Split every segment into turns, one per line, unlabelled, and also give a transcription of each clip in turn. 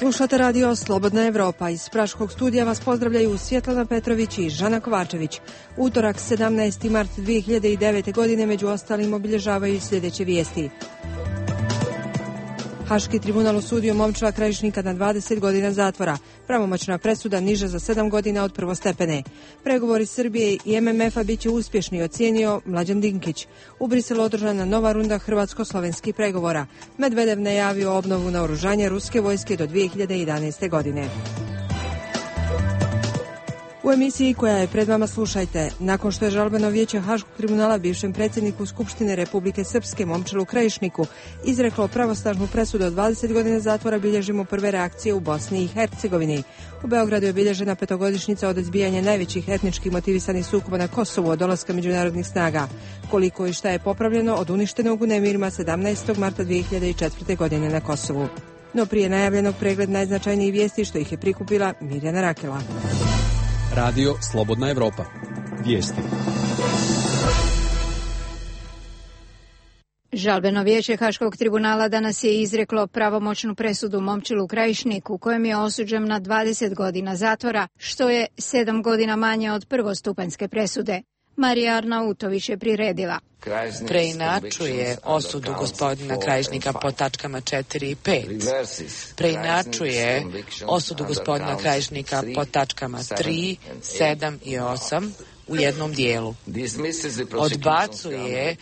Slušate radio Slobodna Evropa. Iz Praškog studija vas pozdravljaju Svjetlana Petrović i Žana Kovačević. Utorak 17. mart 2009. godine među ostalim obilježavaju i sljedeće vijesti. Haški tribunal osudio Momčila Krajišnika na 20 godina zatvora. Pravomoćna presuda niža za 7 godina od prvostepene. Pregovori Srbije i MMF-a bit će uspješni, ocijenio Mlađan Dinkić. U Briselu održana nova runda hrvatsko-slovenskih pregovora. Medvedev najavio obnovu naoružanja ruske vojske do 2011. godine. U emisiji koja je pred vama slušajte. Nakon što je žalbeno vijeće Haškog tribunala bivšem predsjedniku Skupštine Republike Srpske Momčilu Krajišniku izreklo pravosnažnu presudu od 20 godina zatvora, bilježimo prve reakcije u Bosni i Hercegovini. U Beogradu je obilježena petogodišnjica od izbijanja najvećih etnički motivisanih sukoba na Kosovu od dolaska međunarodnih snaga. Koliko i šta je popravljeno od uništenog u nemirima 17. marta 2004. godine na Kosovu. No prije najavljenog pregled najznačajnijih vijesti što ih je prikupila Mirjana Rakela.
Radio Slobodna Evropa. Vijesti.
Žalbeno vijeće Haškog tribunala danas je izreklo pravomoćnu presudu Momčilu Krajišniku, kojem je osuđen na 20 godina zatvora, što je 7 godina manje od prvostupanjske presude. Marija Arnautović je priredila.
Preinačuje osudu gospodina Krajišnika po tačkama 4 i 5. Preinačuje osudu gospodina Krajišnika po tačkama 3, 7 i 8 u jednom dijelu. Odbacuje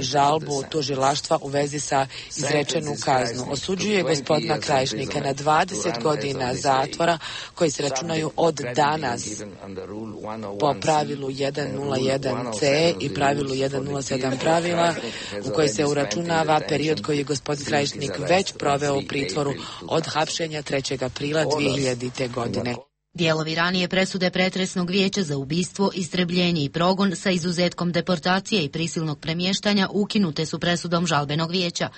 žalbu tužilaštva u vezi sa izrečenu kaznu. Osuđuje gospodina Krajišnika na 20 godina zatvora koji se računaju od danas po pravilu 101C i pravilu 107 pravila u kojoj se uračunava period koji je gospodin Krajišnik već proveo u pritvoru od hapšenja 3. aprila 2000. godine.
Dijelovi ranije presude pretresnog vijeća za ubistvo, istrebljenje i progon sa izuzetkom deportacije i prisilnog premještanja ukinute su presudom žalbenog vijeća.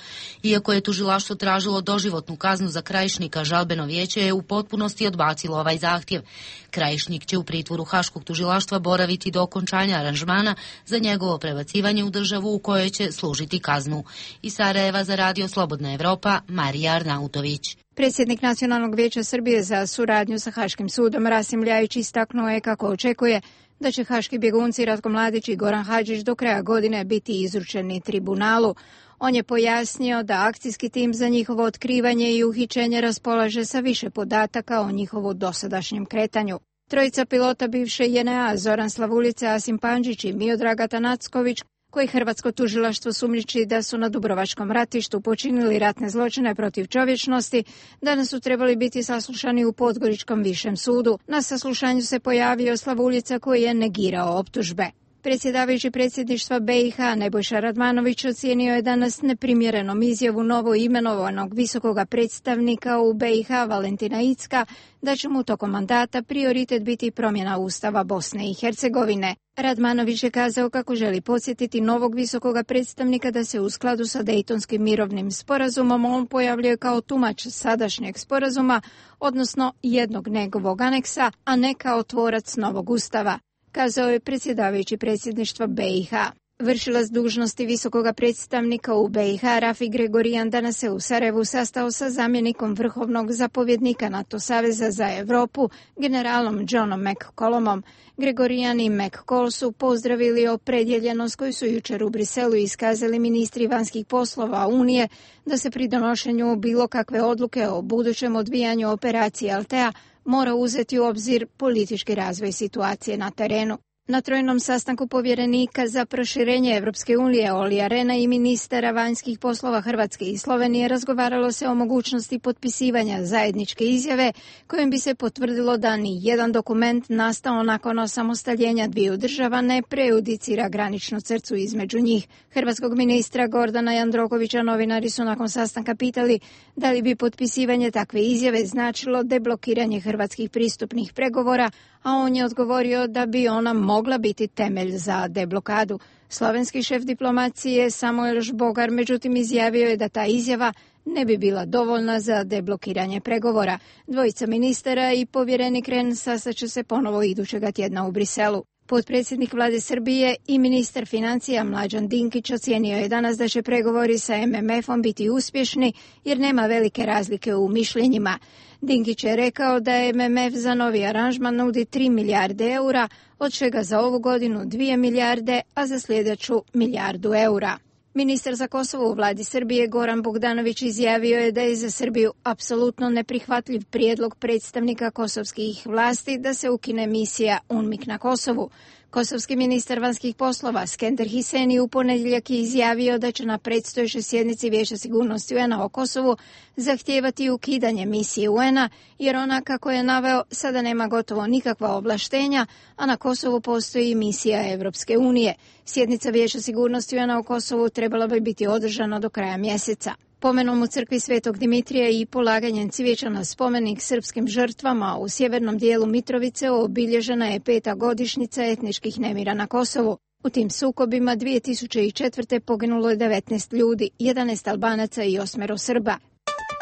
Iako je tužilaštvo tražilo doživotnu kaznu za Krajišnika, žalbeno vijeće je u potpunosti odbacilo ovaj zahtjev. Krajišnik će u pritvoru Haškog tužilaštva boraviti do okončanja aranžmana za njegovo prebacivanje u državu u kojoj će služiti kaznu. Iz Sarajeva za radio Slobodna Evropa, Marija Arnautović.
Predsjednik Nacionalnog vijeća Srbije za suradnju sa Haškim sudom Rasim Ljajić istaknuo je kako očekuje da će haški bjegunci Ratko Mladić i Goran Hadžić do kraja godine biti izručeni tribunalu. On je pojasnio da akcijski tim za njihovo otkrivanje i uhićenje raspolaže sa više podataka o njihovu dosadašnjem kretanju. Trojica pilota bivše JNA, Zoran Slavulica, Asim Pandžić i Miodrag Atanacković, koji hrvatsko tužilaštvo sumnjiči da su na Dubrovačkom ratištu počinili ratne zločine protiv čovječnosti, danas su trebali biti saslušani u Podgoričkom višem sudu. Na saslušanju se pojavio Slavuljica koji je negirao optužbe. Predsjedavajući predsjedništva BiH Nebojša Radmanović ocijenio je danas neprimjerenom izjavu novo imenovanog visokoga predstavnika u BiH Valentina Incka da će mu tokom mandata prioritet biti promjena Ustava Bosne i Hercegovine. Radmanović je kazao kako želi podsjetiti novog visokoga predstavnika da se u skladu sa Dejtonskim mirovnim sporazumom on pojavljuje kao tumač sadašnjeg sporazuma, odnosno jednog njegovog aneksa, a ne kao tvorac novog Ustava, kazao je predsjedavajući predsjedništva BiH. Vršilac dužnosti visokoga predstavnika u BiH Rafi Gregorijan danas se u Sarajevu sastao sa zamjenikom vrhovnog zapovjednika NATO Saveza za Europu, generalom Johnom McCollumom. Gregorijan i McCall su pozdravili opredjeljenost koju su jučer u Briselu iskazali ministri vanjskih poslova Unije da se pri donošenju bilo kakve odluke o budućem odvijanju operacije Altea mora uzeti u obzir politički razvoj situacije na terenu. Na trojnom sastanku povjerenika za proširenje Evropske unije Olija Rehna i ministara vanjskih poslova Hrvatske i Slovenije razgovaralo se o mogućnosti potpisivanja zajedničke izjave kojim bi se potvrdilo da ni jedan dokument nastao nakon osamostaljenja dviju država ne prejudicira graničnu crtu između njih. Hrvatskog ministra Gordana Jandrokovića novinari su nakon sastanka pitali da li bi potpisivanje takve izjave značilo deblokiranje hrvatskih pristupnih pregovora, a on je odgovorio da bi ona mogla biti temelj za deblokadu. Slovenski šef diplomacije Samuel Žbogar međutim izjavio je da ta izjava ne bi bila dovoljna za deblokiranje pregovora. Dvojica ministara i povjerenik Rehn sastaće se ponovo idućega tjedna u Briselu. Potpredsjednik vlade Srbije i ministar financija Mlađan Dinkić ocijenio je danas da će pregovori sa MMF-om biti uspješni jer nema velike razlike u mišljenjima. Dinkić je rekao da je MMF za novi aranžman nudi 3 milijarde eura, od čega za ovu godinu 2 milijarde, a za sljedeću milijardu eura. Ministar za Kosovo u vladi Srbije Goran Bogdanović izjavio je da je za Srbiju apsolutno neprihvatljiv prijedlog predstavnika kosovskih vlasti da se ukine misija UNMIK na Kosovu. Kosovski ministar vanjskih poslova Skender Hiseni u ponedjeljak je izjavio da će na predstojećoj sjednici Vijeća sigurnosti UN-a o Kosovu zahtijevati ukidanje misije UN-a, jer ona, kako je naveo, sada nema gotovo nikakva ovlaštenja, a na Kosovu postoji misija Evropske unije. Sjednica Vijeća sigurnosti UN-a o Kosovu trebala bi biti održana do kraja mjeseca. Pomenom u crkvi Svetog Dimitrija i polaganjem cvijeća na spomenik srpskim žrtvama u sjevernom dijelu Mitrovice obilježena je 5. godišnjica etničkih nemira na Kosovu. U tim sukobima 2004. poginulo je 19 ljudi, 11 Albanaca i 8 Srba.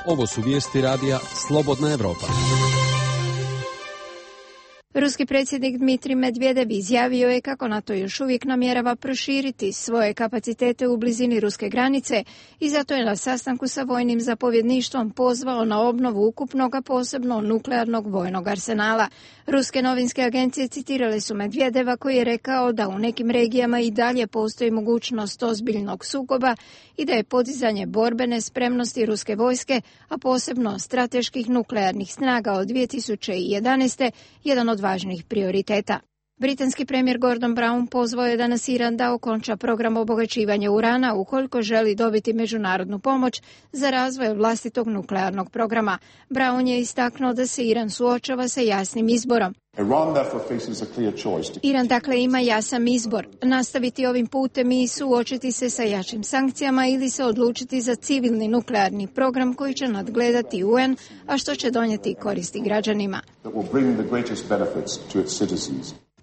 Ovo su vijesti radija Slobodna Evropa.
Ruski predsjednik Dmitrij Medvedev izjavio je kako NATO još uvijek namjerava proširiti svoje kapacitete u blizini ruske granice i zato je na sastanku sa vojnim zapovjedništvom pozvao na obnovu ukupnog, posebno nuklearnog vojnog arsenala. Ruske novinske agencije citirale su Medvedeva koji je rekao da u nekim regijama i dalje postoji mogućnost ozbiljnog sukoba i da je podizanje borbene spremnosti ruske vojske, a posebno strateških nuklearnih snaga od 2011. jedan od važnih prioriteta. Britanski premijer Gordon Brown pozvao je danas Iran da okonča program obogaćivanja urana ukoliko želi dobiti međunarodnu pomoć za razvoj vlastitog nuklearnog programa. Brown je istaknuo da se Iran suočava sa jasnim izborom. Iran dakle ima jasan izbor, nastaviti ovim putem i suočiti se sa jačim sankcijama ili se odlučiti za civilni nuklearni program koji će nadgledati UN, a što će donijeti koristi građanima.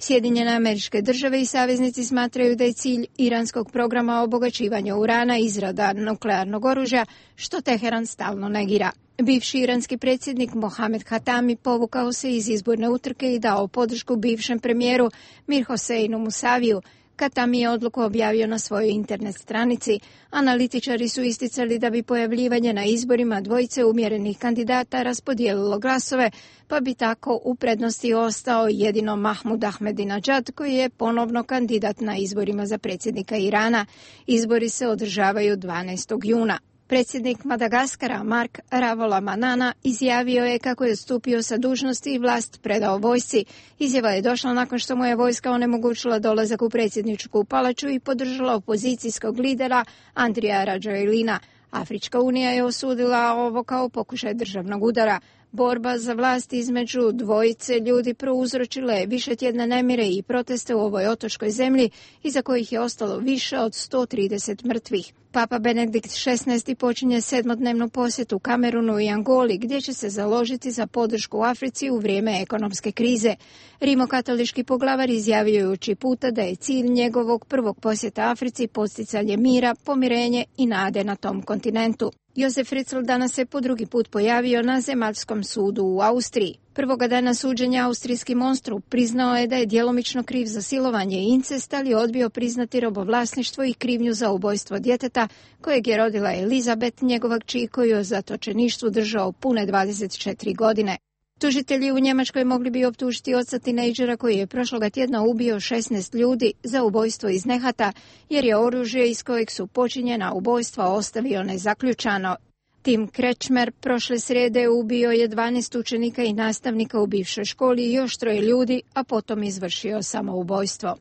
Sjedinjene Američke Države i saveznici smatraju da je cilj iranskog programa obogaćivanja urana izrada nuklearnog oružja, što Teheran stalno negira. Bivši iranski predsjednik Mohamed Hatami povukao se iz izborne utrke i dao podršku bivšem premijeru Mir Hoseinu Musaviju. Hatami je odluku objavio na svojoj internet stranici. Analitičari su isticali da bi pojavljivanje na izborima dvojice umjerenih kandidata raspodijelilo glasove, pa bi tako u prednosti ostao jedino Mahmud Ahmadinejad koji je ponovno kandidat na izborima za predsjednika Irana. Izbori se održavaju 12. juna. Predsjednik Madagaskara Mark Ravalomanana izjavio je kako je stupio sa dužnosti i vlast predao vojsci. Izjava je došla nakon što mu je vojska onemogućila dolazak u predsjedničku palaču i podržala opozicijskog lidera Andrija Rajoelina. Afrička unija je osudila ovo kao pokušaj državnog udara. Borba za vlast između dvojice ljudi prouzročila je višetjedne nemire i proteste u ovoj otočkoj zemlji, iza kojih je ostalo više od 130 mrtvih. Papa Benedikt XVI počinje 7-dnevnu posjetu Kamerunu i Angoli, gdje će se založiti za podršku u Africi u vrijeme ekonomske krize. Rimokatolički poglavar izjavio je uči puta da je cilj njegovog prvog posjeta Africi posticanje mira, pomirenje i nade na tom kontinentu. Josef Fritzl danas se po drugi put pojavio na zemaljskom sudu u Austriji. Prvoga dana suđenja austrijski monstru priznao je da je djelomično kriv za silovanje i incest, ali odbio priznati robovlasništvo i krivnju za ubojstvo djeteta kojeg je rodila Elizabeth, njegova kći koju je u zatočeništvu držao pune 24 godine. Tužitelji u Njemačkoj mogli bi optužiti oca tinejdžera koji je prošloga tjedna ubio 16 ljudi za ubojstvo iz nehata, jer je oružje iz kojeg su počinjena ubojstva ostavio nezaključano. Tim Krečmer prošle srijede ubio je 12 učenika i nastavnika u bivšoj školi i još 3 ljudi, a potom izvršio samoubojstvo.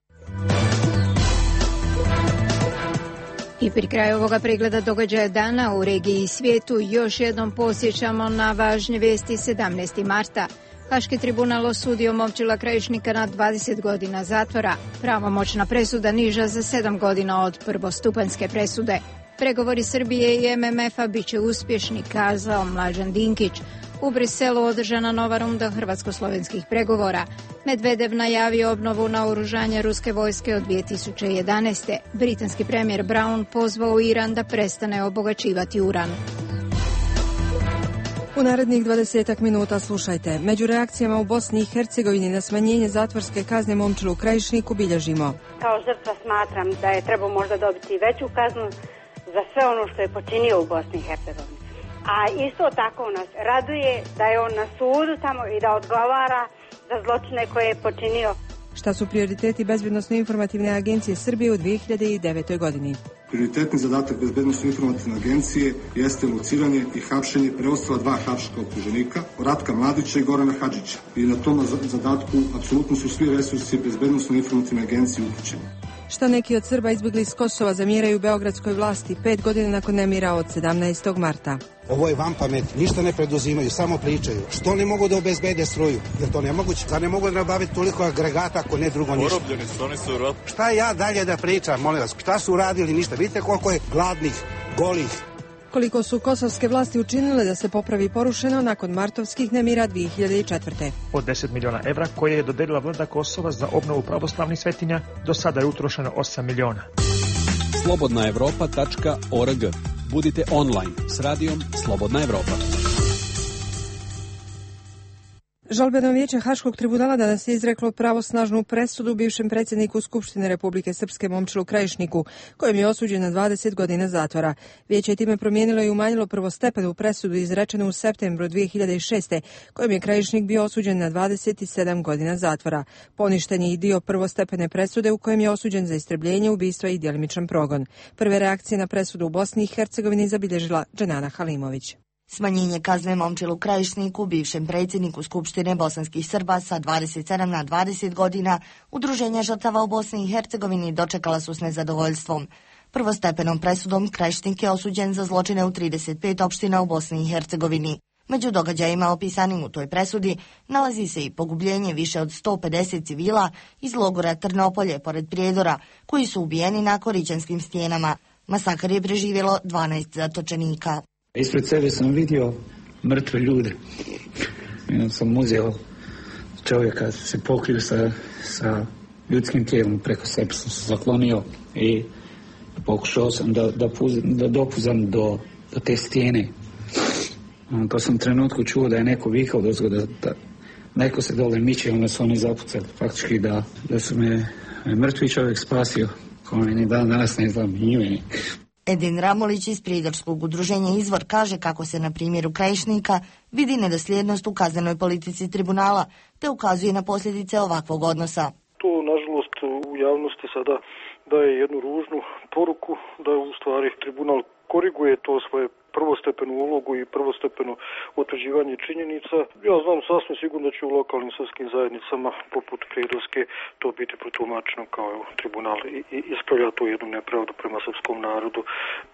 I pri kraju ovoga pregleda događaja dana u regiji i svijetu još jednom posjećamo na važne vijesti 17. marta. Haški tribunal osudio Momčila Krajišnika na 20 godina zatvora. Pravomoćna presuda niža za 7 godina od prvostupanjske presude. Pregovori Srbije i MMF-a bit će uspješni, kazao Mlađan Dinkić. U Briselu održana nova runda hrvatsko-slovenskih pregovora. Medvedev najavio obnovu naoružanja ruske vojske od 2011. Britanski premijer Brown pozvao Iran da prestane obogaćivati uran.
U narednih 20 minuta slušajte. Među reakcijama u Bosni i Hercegovini na smanjenje zatvorske kazne Momčilu Krajišniku bilježimo.
Kao žrtva smatram da je trebao možda dobiti veću kaznu za sve ono što je počinio u Bosni i Hercegovini. A isto tako nas raduje da je on na sudu tamo i da odgovara za zločine koje je počinio.
Šta su prioriteti Bezbednosno-informativne agencije Srbije u 2009. godini?
Prioritetni zadatak Bezbednosno-informativne agencije jeste lociranje i hapšenje preostala 2 haška optuženika, Ratka Mladića i Gorana Hadžića. I na tom zadatku apsolutno su svi resursi Bezbednosno-informativne agencije uključeni.
Šta neki od Srba izbjegli iz Kosova zamjeraju beogradskoj vlasti 5 godina nakon nemira od 17. marta?
Ovo je van pamet, ništa ne preduzimaju, samo pričaju. Što ne mogu da obezbede struju? Jer to nemoguće, da ne mogu da nabaviti toliko agregata ako ne drugo ništa.
Porobljeni su, oni su rot.
Šta ja dalje da pričam, molim vas, šta su uradili ništa? Vidite koliko je gladnih, golih.
Koliko su kosovske vlasti učinile da se popravi porušeno nakon martovskih nemira 2004.
Od 10 miliona evra koje je dodelila vlada Kosova za obnovu pravoslavnih svetinja, do sada je utrošeno 8 miliona.
Slobodnaevropa.org. Budite online s radijom Slobodna Evropa.
Žalbeno vijeće Haškog tribunala danas je izreklo pravosnažnu presudu bivšem predsjedniku Skupštine Republike Srpske Momčilu Krajišniku, kojem je osuđen na 20 godina zatvora. Vijeće je time promijenilo i umanjilo prvostepenu presudu izrečenu u septembru 2006. kojem je Krajišnik bio osuđen na 27 godina zatvora. Poništen je i dio prvostepene presude u kojem je osuđen za istrebljenje, ubistva i djelimičan progon. Prve reakcije na presudu u Bosni i Hercegovini zabilježila Dženana Halimović.
Smanjenje kazne Momčilu Krajišniku, bivšem predsjedniku Skupštine bosanskih Srba sa 27 na 20 godina, Udruženja žrtava u Bosni i Hercegovini dočekala su s nezadovoljstvom. Prvostepenom presudom Krajišnik je osuđen za zločine u 35 opština u Bosni i Hercegovini. Među događajima opisanim u toj presudi nalazi se i pogubljenje više od 150 civila iz logora Trnopolje pored Prijedora, koji su ubijeni na Korićanskim stijenama. Masakar je preživjelo 12 zatočenika.
Ispred sebe sam vidio mrtve ljude. Jednom sam uzeo čovjeka, se pokrio sa ljudskim tijelom, preko sebe sam se zaklonio i pokušao sam da dopuzam do te stijene. To sam u trenutku čuo da je neko vikao da neko se dole miče, onda su oni zapucali. Faktički da su me mrtvi čovjek spasio, koji ni dan danas ne znam ime.
Edin Ramolić iz Prijedorskog udruženja Izvor kaže kako se na primjeru Krajišnika vidi nedosljednost u kaznenoj politici tribunala, te ukazuje na posljedice ovakvog odnosa.
To, nažalost, u javnosti sada daje jednu ružnu poruku da u stvari tribunal koriguje to svoje prvostepenu ulogu i prvostepeno utvrđivanje činjenica. Ja znam sasvim sigurno da će u lokalnim sudskim zajednicama poput Prijedorske to biti protumačeno kao tribunal i ispravlja tu jednu nepravdu prema srpskom narodu.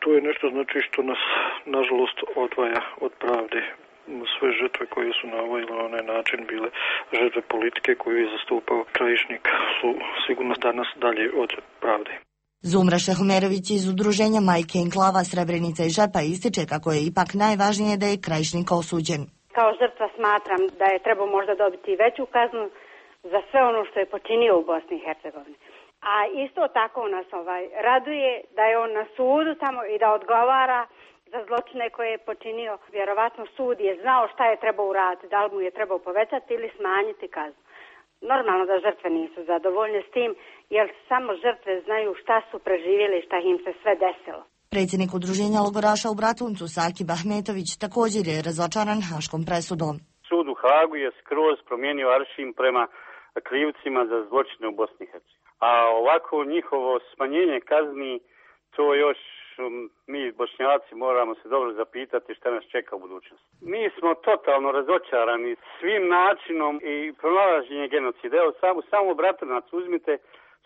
To je nešto znači što nas nažalost odvaja od pravde. Sve žrtve koje su na ovaj ili onaj način bile žrtve politike koju je zastupao Krajišnik su sigurno danas dalje od pravde.
Zumra Šehmerović iz udruženja Majke Enklava Srebrenica i Žepa ističe kako je ipak najvažnije da je Krajišnik osuđen.
Kao žrtva smatram da je trebao možda dobiti veću kaznu za sve ono što je počinio u Bosni i Hercegovini. A isto tako nas raduje da je on na sudu tamo i da odgovara za zločine koje je počinio. Vjerovatno sud je znao šta je trebao uraditi, da li mu je trebao povećati ili smanjiti kaznu. Normalno da žrtve nisu zadovoljne s tim, jer samo žrtve znaju šta su preživjeli i šta im se sve desilo.
Predsjednik udruženja logoraša u Bratuncu, Sakib Ahmetović, također je razočaran haškom presudom.
Sud u Hagu je skroz promijenio aršin prema krivcima za zločine u Bosni i Hercegovini. A ovako njihovo smanjenje kazni, to još mi Bošnjaci moramo se dobro zapitati šta nas čeka u budućnosti. Mi smo totalno razočarani svim načinom i pronalaženje genocida. Evo samo Bratunac uzmite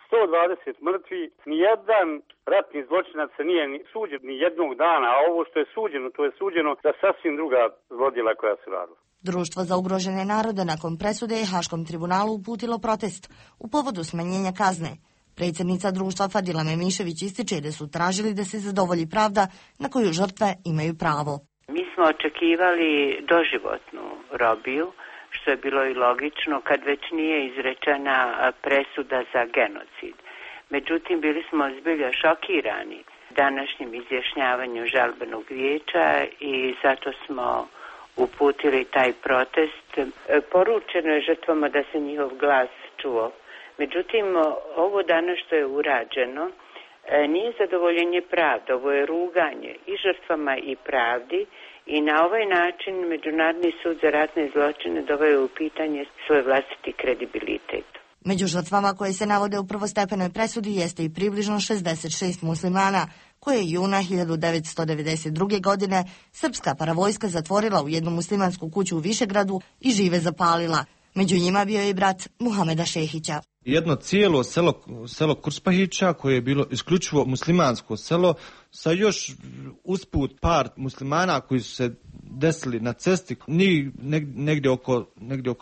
120 mrtvi, nijedan ratni zločinac se nije suđen ni jednog dana, a ovo što je suđeno, to je suđeno za sasvim druga zlodjela koja su radila.
Društvo za ugrožene narode nakon presude je Haškom tribunalu uputilo protest u povodu smanjenja kazne. Predsjednica društva Fadila Memišević ističe da su tražili da se zadovolji pravda na koju žrtve imaju pravo.
Mi smo očekivali doživotnu robiju, što je bilo i logično kad već nije izrečena presuda za genocid. Međutim, bili smo zbilja šokirani današnjim izjašnjavanjem žalbenog vijeća i zato smo uputili taj protest. Poručeno je žrtvama da se njihov glas čuo. Međutim, ovo danas što je urađeno nije zadovoljenje pravde, ovo je ruganje i žrtvama i pravdi i na ovaj način Međunarodni sud za ratne zločine doveo u pitanje svoj vlastiti kredibilitet.
Među žrtvama koje se navode u prvostepenoj presudi jeste i približno 66 muslimana, koje je juna 1992. godine srpska paravojska zatvorila u jednu muslimansku kuću u Višegradu i žive zapalila. Među njima bio je i brat Muhameda Šehića.
Jedno cijelo selo Kurspahića, koje je bilo isključivo muslimansko selo, sa još usput par muslimana koji su se desili na cesti, negdje oko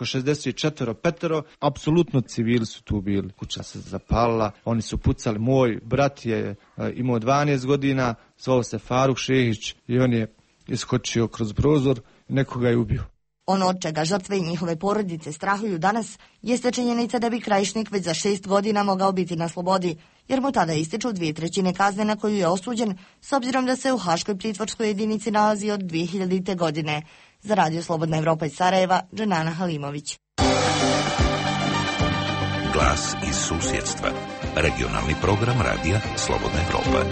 64-petero, apsolutno civili su tu bili. Kuća se zapalila, oni su pucali, moj brat je imao 12 godina, zvao se Faruk Šehić i on je iskočio kroz prozor i nekoga je ubio.
Ono od čega žrtve i njihove porodice strahuju danas jeste činjenica da bi Krajišnik već za 6 godina mogao biti na slobodi, jer mu tada ističu 2/3 kazne na koju je osuđen, s obzirom da se u Haškoj pritvorskoj jedinici nalazi od 2000. godine. Za Radio Slobodna Evropa iz Sarajeva, Dženana Halimović.
Glas iz susjedstva. Regionalni program Radija Slobodna Evropa.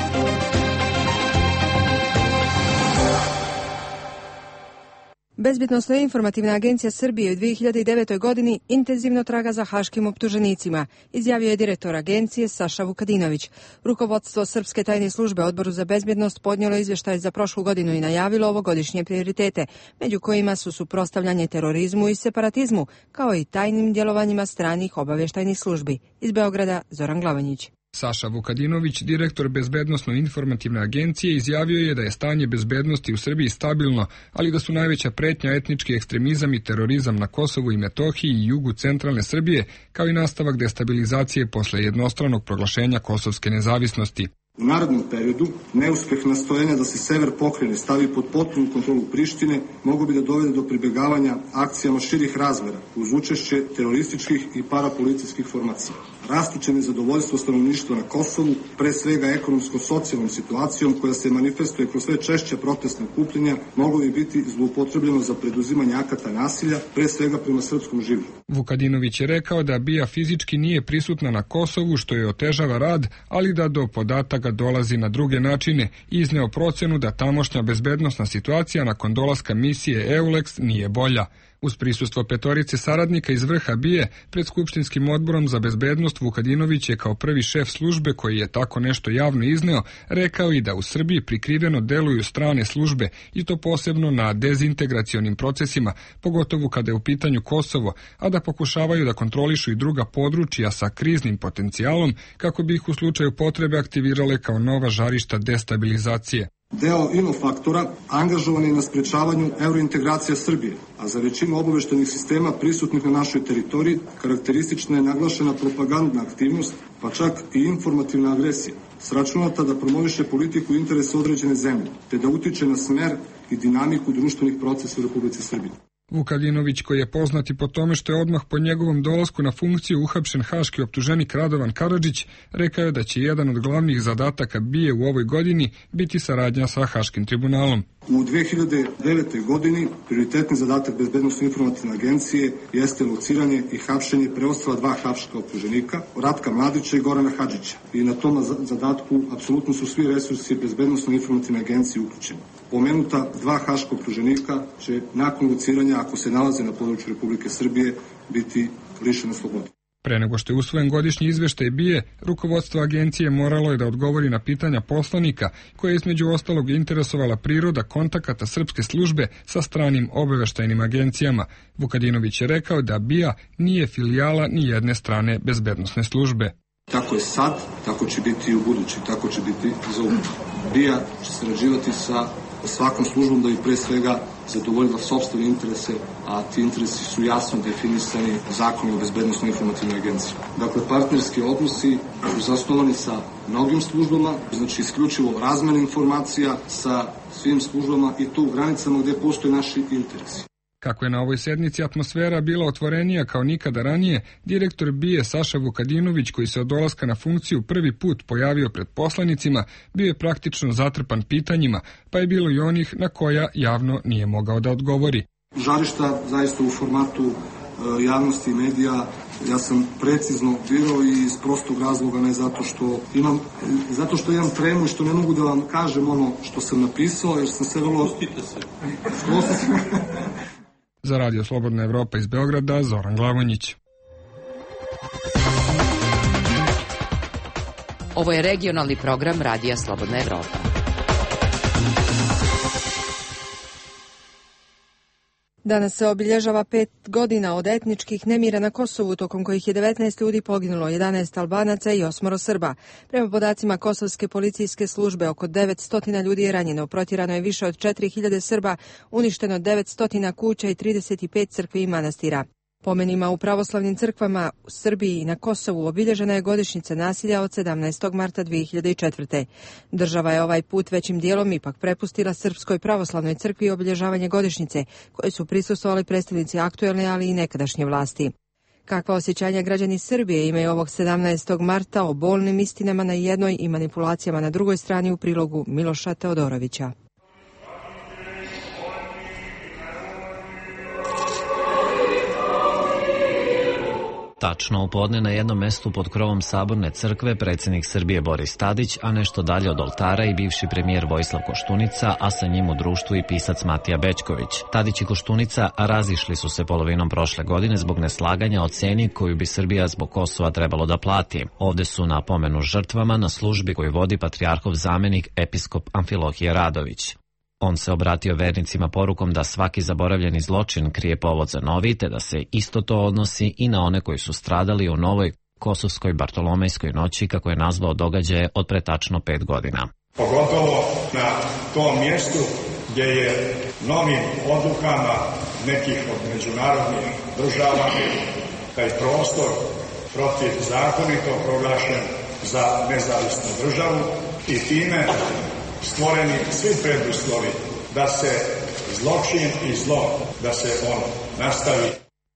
Bezbjednosno informativna agencija Srbije u 2009. godini intenzivno traga za haškim optuženicima, izjavio je direktor agencije Saša Vukadinović. Rukovodstvo Srpske tajne službe Odboru za bezbjednost podnijelo izvještaj za prošlu godinu i najavilo ovogodišnje prioritete, među kojima su suprotstavljanje terorizmu i separatizmu, kao i tajnim djelovanjima stranih obavještajnih službi. Iz Beograda, Zoran Glavanjić.
Saša Vukadinović, direktor Bezbednosno-informativne agencije, izjavio je da je stanje bezbednosti u Srbiji stabilno, ali da su najveća pretnja etnički ekstremizam i terorizam na Kosovu i Metohiji i jugu centralne Srbije, kao i nastavak destabilizacije posle jednostranog proglašenja kosovske nezavisnosti.
U narednom periodu, neuspjeh nastojanja da se sever pokrajine stavi pod potpunu kontrolu Prištine mogu bi da dovede do pribjegavanja akcijama širih razmjera uz učešće terorističkih i parapolicijskih formacija. Rastuće nezadovoljstvo stanovništva na Kosovu, pre svega ekonomsko-socijalnom situacijom koja se manifestuje kroz sve češće protestne okupljenja, moglo bi biti zloupotrebljeno za preduzimanje akata nasilja, pre svega prema srpskom življu.
Vukadinović je rekao da BIA fizički nije prisutna na Kosovu, što je otežava rad, ali da do podataka dolazi na druge načine i izneo procenu da tamošnja bezbednosna situacija nakon dolaska misije EULEX nije bolja. Uz prisustvo 5 saradnika iz vrha BIA pred Skupštinskim odborom za bezbednost, Vukadinović je kao prvi šef službe koji je tako nešto javno izneo rekao i da u Srbiji prikriveno deluju strane službe i to posebno na dezintegracionim procesima, pogotovo kada je u pitanju Kosovo, a da pokušavaju da kontrolišu i druga područja sa kriznim potencijalom kako bi ih u slučaju potrebe aktivirale kao nova žarišta destabilizacije.
Deo inofaktora angažovan je na sprečavanju eurointegracija Srbije, a za većinu obaveštajnih sistema prisutnih na našoj teritoriji karakteristična je naglašena propagandna aktivnost, pa čak i informativna agresija, sračunata da promoviše politiku i interese određene zemlje, te da utiče na smer i dinamiku društvenih procesa u Republici Srbiji.
Vukadinović, koji je poznat i po tome što je odmah po njegovom dolasku na funkciju uhapšen haški optuženik Radovan Karadžić, rekao je da će jedan od glavnih zadataka BIA u ovoj godini biti saradnja sa Haškim tribunalom.
U 2009. godini prioritetni zadatak Bezbednosno-informativne agencije jeste lociranje i hapšenje preostala 2 haška optuženika, Ratka Mladića i Gorana Hadžića. I na tom zadatku apsolutno su svi resursi Bezbednosno-informativne agencije uključeni. Pomenuta 2 haška optuženika će nakon lociranja, ako se nalaze na području Republike Srbije, biti lišeni slobode.
Pre nego što je usvojen godišnji izveštaj BIA, rukovodstvo agencije moralo je da odgovori na pitanja poslanika, koje je između ostalog interesovala priroda kontakata srpske službe sa stranim obaveštajnim agencijama. Vukadinović je rekao da BIA nije filijala ni jedne strane bezbednosne službe.
Tako je sad, tako će biti i u budući, tako će biti za uvijek. BIA će sarađivati sa svakom službom da bi pre svega zadovoljila sopstvene interese, a ti interesi su jasno definisani zakonom o Bezbednosno-informativnoj agenciji. Dakle, partnerski odnosi su zasnovani sa mnogim službama, znači isključivo razmena informacija sa svim službama i to u granicama gdje postoje naši interesi.
Kako je na ovoj sednici atmosfera bila otvorenija kao nikada ranije, direktor BIA Saša Vukadinović, koji se od dolaska na funkciju prvi put pojavio pred poslanicima, bio je praktično zatrpan pitanjima, pa je bilo i onih na koja javno nije mogao da odgovori.
Žarišta zaista u formatu javnosti i medija ja sam precizno birao i iz prostog razloga, ne zato što imam tremu i što ne mogu da vam kažem ono što sam napisao, jer sam se vrlo...
Za Radio Slobodna Evropa iz Beograda, Zoran Glavonjić.
Ovo je regionalni program Radija Slobodna Evropa.
Danas se obilježava 5 godina od etničkih nemira na Kosovu, tokom kojih je 19 ljudi poginulo, 11 Albanaca i 8 Srba. Prema podacima Kosovske policijske službe, oko 900 ljudi je ranjeno, protjerano je više od 4000 Srba, uništeno 900 kuća i 35 crkvi i manastira. Pomenima u pravoslavnim crkvama u Srbiji i na Kosovu obilježena je godišnjica nasilja od 17. marta 2004. Država je ovaj put većim dijelom ipak prepustila Srpskoj pravoslavnoj crkvi obilježavanje godišnjice, koje su prisustvovali predstavnici aktuelne, ali i nekadašnje vlasti. Kakva osjećanja građani Srbije imaju ovog 17. marta o bolnim istinama na jednoj i manipulacijama na drugoj strani, u prilogu Miloša Teodorovića.
Tačno u podne na jednom mestu pod krovom Saborne crkve predsjednik Srbije Boris Tadić, a nešto dalje od oltara i bivši premijer Vojislav Koštunica, a sa njim u društvu i pisac Matija Bećković. Tadić i Koštunica razišli su se polovinom prošle godine zbog neslaganja o ceni koju bi Srbija zbog Kosova trebalo da plati. Ovde su na pomenu žrtvama na službi koju vodi patrijarhov zamenik episkop Amfilohije Radović. On se obratio vernicima porukom da svaki zaboravljeni zločin krije povod za novi, te da se isto to odnosi i na one koji su stradali u novoj kosovskoj bartolomejskoj noći, kako je nazvao događaje od pre tačno 5 godina.
Pogotovo na tom mjestu gdje je novim odlukama nekih od međunarodnih država taj prostor protivzakonito proglašen za nezavisnu državu i time stvoreni svi preduslovi da se zločin i zlo, da se on nastavi.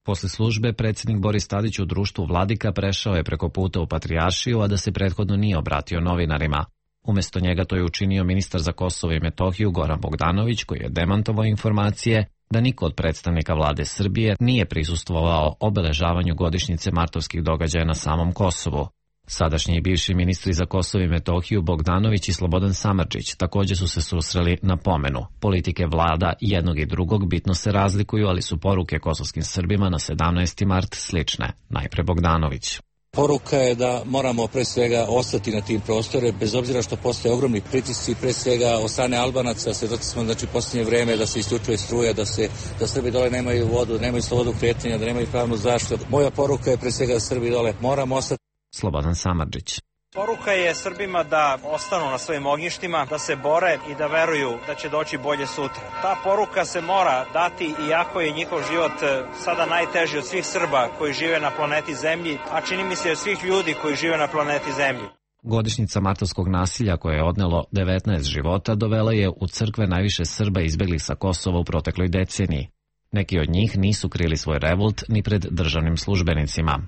Posle službe predsjednik Boris Tadić u društvu vladika prešao je preko puta u Patrijaršiju, a da se prethodno nije obratio novinarima. Umjesto njega to je učinio ministar za Kosovo i Metohiju Goran Bogdanović, koji je demantovao informacije da niko od predstavnika vlade Srbije nije prisustvovao obeležavanju godišnjice martovskih događaja na samom Kosovu. Sadašnji i bivši ministri za Kosovo i Metohiju Bogdanović i Slobodan Samardžić također su se susreli na pomenu. Politike vlada jednog i drugog bitno se razlikuju, ali su poruke kosovskim Srbima na 17. mart slične. Najpre Bogdanović.
Poruka je da moramo pre svega ostati na tim prostore, bez obzira što postoje ogromni pritisci, pre svega od strane Albanaca. Svedoci smo posljednje vrijeme da se isključuje struja, da Srbi dole nemaju vodu, nemaju slobodu kretanja, da nemaju pravnu zaštitu. Moja poruka je pre svega da Srbi dole moramo ostati.
Slobodan Samardžić.
Poruka je Srbima da ostanu na svojim ognjištima, da se bore i da veruju da će doći bolje sutra. Ta poruka se mora dati, iako je njihov život sada najteži od svih Srba koji žive na planeti Zemlji, a čini mi se od svih ljudi koji žive na planeti Zemlji.
Godišnjica martovskog nasilja koje je odnelo 19 života dovela je u crkve najviše Srba izbeglih sa Kosova u protekloj deceniji. Neki od njih nisu krili svoj revolt ni pred državnim službenicima.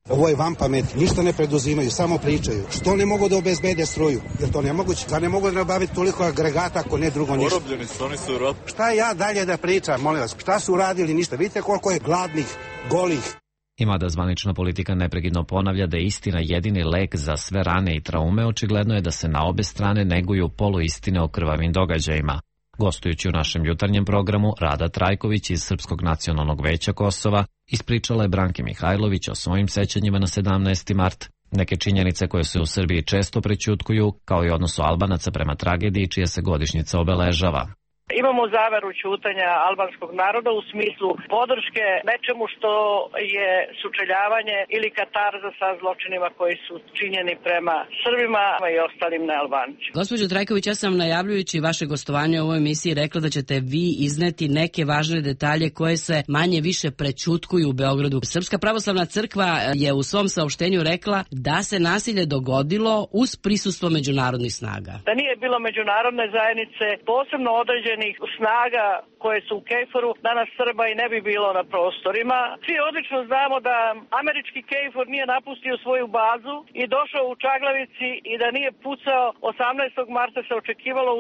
Ovo je van pamet, ništa ne preduzimaju, samo pričaju. Što ne mogu da obezbede struju? Jer to nemoguće, da ne mogu da nabaviti toliko agregata ako ne drugo ništa.
Porobljeni su, oni su rob.
Šta ja dalje da pričam, molim vas, šta su uradili, ništa. Vidite koliko je gladnih, golih.
I mada zvanična politika neprekidno ponavlja da je istina jedini lek za sve rane i traume, očigledno je da se na obe strane neguju poluistine o krvavim događajima. Gostujući u našem jutarnjem programu, Rada Trajković iz Srpskog nacionalnog veća Kosova ispričala je Branki Mihajlović o svojim sećanjima na 17. mart, neke činjenice koje se u Srbiji često prećutkuju, kao i odnosu Albanaca prema tragediji čija se godišnjica obeležava.
Imamo zaveru ćutanja albanskog naroda u smislu podrške nečemu što je sučeljavanje ili katarza sa zločinima koji su činjeni prema Srbima i ostalim nealbancima.
Gospođo Trajković, ja sam najavljujući vaše gostovanje u ovoj emisiji rekla da ćete vi izneti neke važne detalje koje se manje više prećutkuju u Beogradu. Srpska pravoslavna crkva je u svom saopštenju rekla da se nasilje dogodilo uz prisustvo međunarodnih snaga.
Da nije bilo međunarodne zajednice, posebno određene određenih snaga koje su u KFOR-u, danas Srba i ne bi bilo na prostorima. Svi odlično znamo da američki KFOR nije napustio svoju bazu i došao u Čaglavici i da nije pucao 18. marta se očekivalo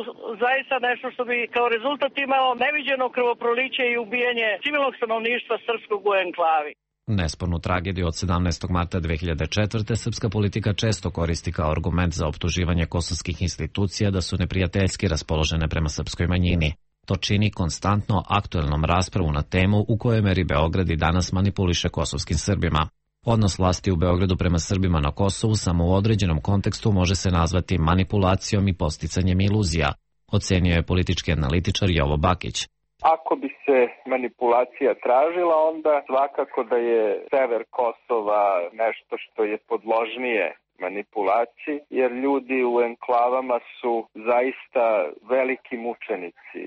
zaista nešto što bi kao rezultat imalo neviđeno krvoproliće i ubijanje civilnog stanovništva srpskog u enklavi.
Nespornu tragediju od 17. marta 2004. srpska politika često koristi kao argument za optuživanje kosovskih institucija da su neprijateljski raspoložene prema srpskoj manjini. To čini konstantno aktuelnom raspravu na temu u kojoj meri Beograd i danas manipuliše kosovskim Srbima. Odnos vlasti u Beogradu prema Srbima na Kosovu samo u određenom kontekstu može se nazvati manipulacijom i posticanjem iluzija, ocenio je politički analitičar Jovo Bakić.
Ako bi se manipulacija tražila, onda svakako da je sever Kosova nešto što je podložnije manipulaciji, jer ljudi u enklavama su zaista veliki mučenici.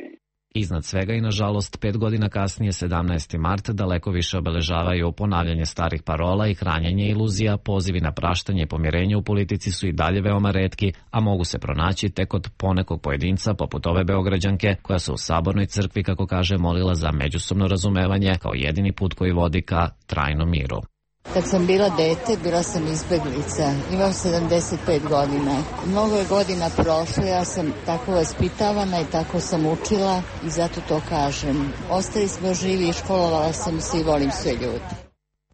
Iznad svega i nažalost 5 godina kasnije, 17. mart, daleko više obeležavaju ponavljanje starih parola i hranjenje iluzija, pozivi na praštanje i pomirenje u politici su i dalje veoma retki, a mogu se pronaći tek kod ponekog pojedinca poput ove Beograđanke koja se u Sabornoj crkvi, kako kaže, molila za međusobno razumevanje kao jedini put koji vodi ka trajnom miru.
Kad sam bila dete, bila sam izbeglica. Imam 75 godina. Mnogo je godina prošlo, ja sam tako vaspitavana i tako sam učila i zato to kažem. Ostali smo živi i školovala sam se i volim sve ljude.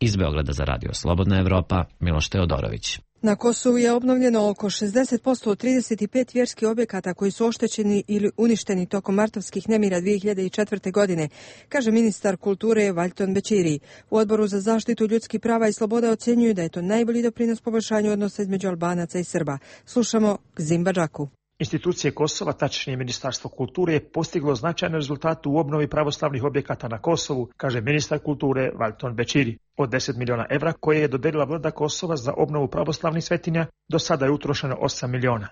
Iz Beograda za Radio Slobodna Evropa, Miloš Teodorović.
Na Kosovu je obnovljeno oko 60% od 35 vjerskih objekata koji su oštećeni ili uništeni tokom martovskih nemira 2004. godine, kaže ministar kulture Valjton Bećiri. U Odboru za zaštitu ljudskih prava i sloboda ocjenjuju da je to najbolji doprinos poboljšanju odnosa između Albanaca i Srba. Slušamo Gzim Badžaku.
Institucije Kosova, tačnije Ministarstvo kulture, je postiglo značajne rezultate u obnovi pravoslavnih objekata na Kosovu, kaže ministar kulture Valjton Bećiri. Od 10 miliona evra koje je dodelila vlada Kosova za obnovu pravoslavnih svetinja, do sada je utrošeno 8 miliona.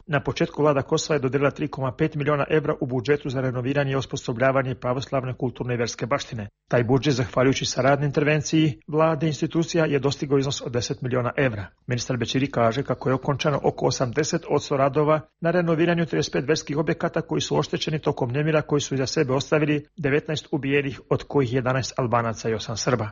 Na početku vlada Kosova je dodelila 3,5 miliona evra u budžetu za renoviranje i osposobljavanje pravoslavne kulturne i verske baštine. Taj budžet, zahvaljujući saradnoj intervenciji vlade institucija, je dostigao iznos od 10 miliona evra. Ministar Bećiri kaže kako je okončano oko 80% radova na renoviranju 35 verskih objekata koji su oštećeni tokom nemira, koji su iza sebe ostavili 19 ubijenih, od kojih 11 Albanaca i 8 Srba.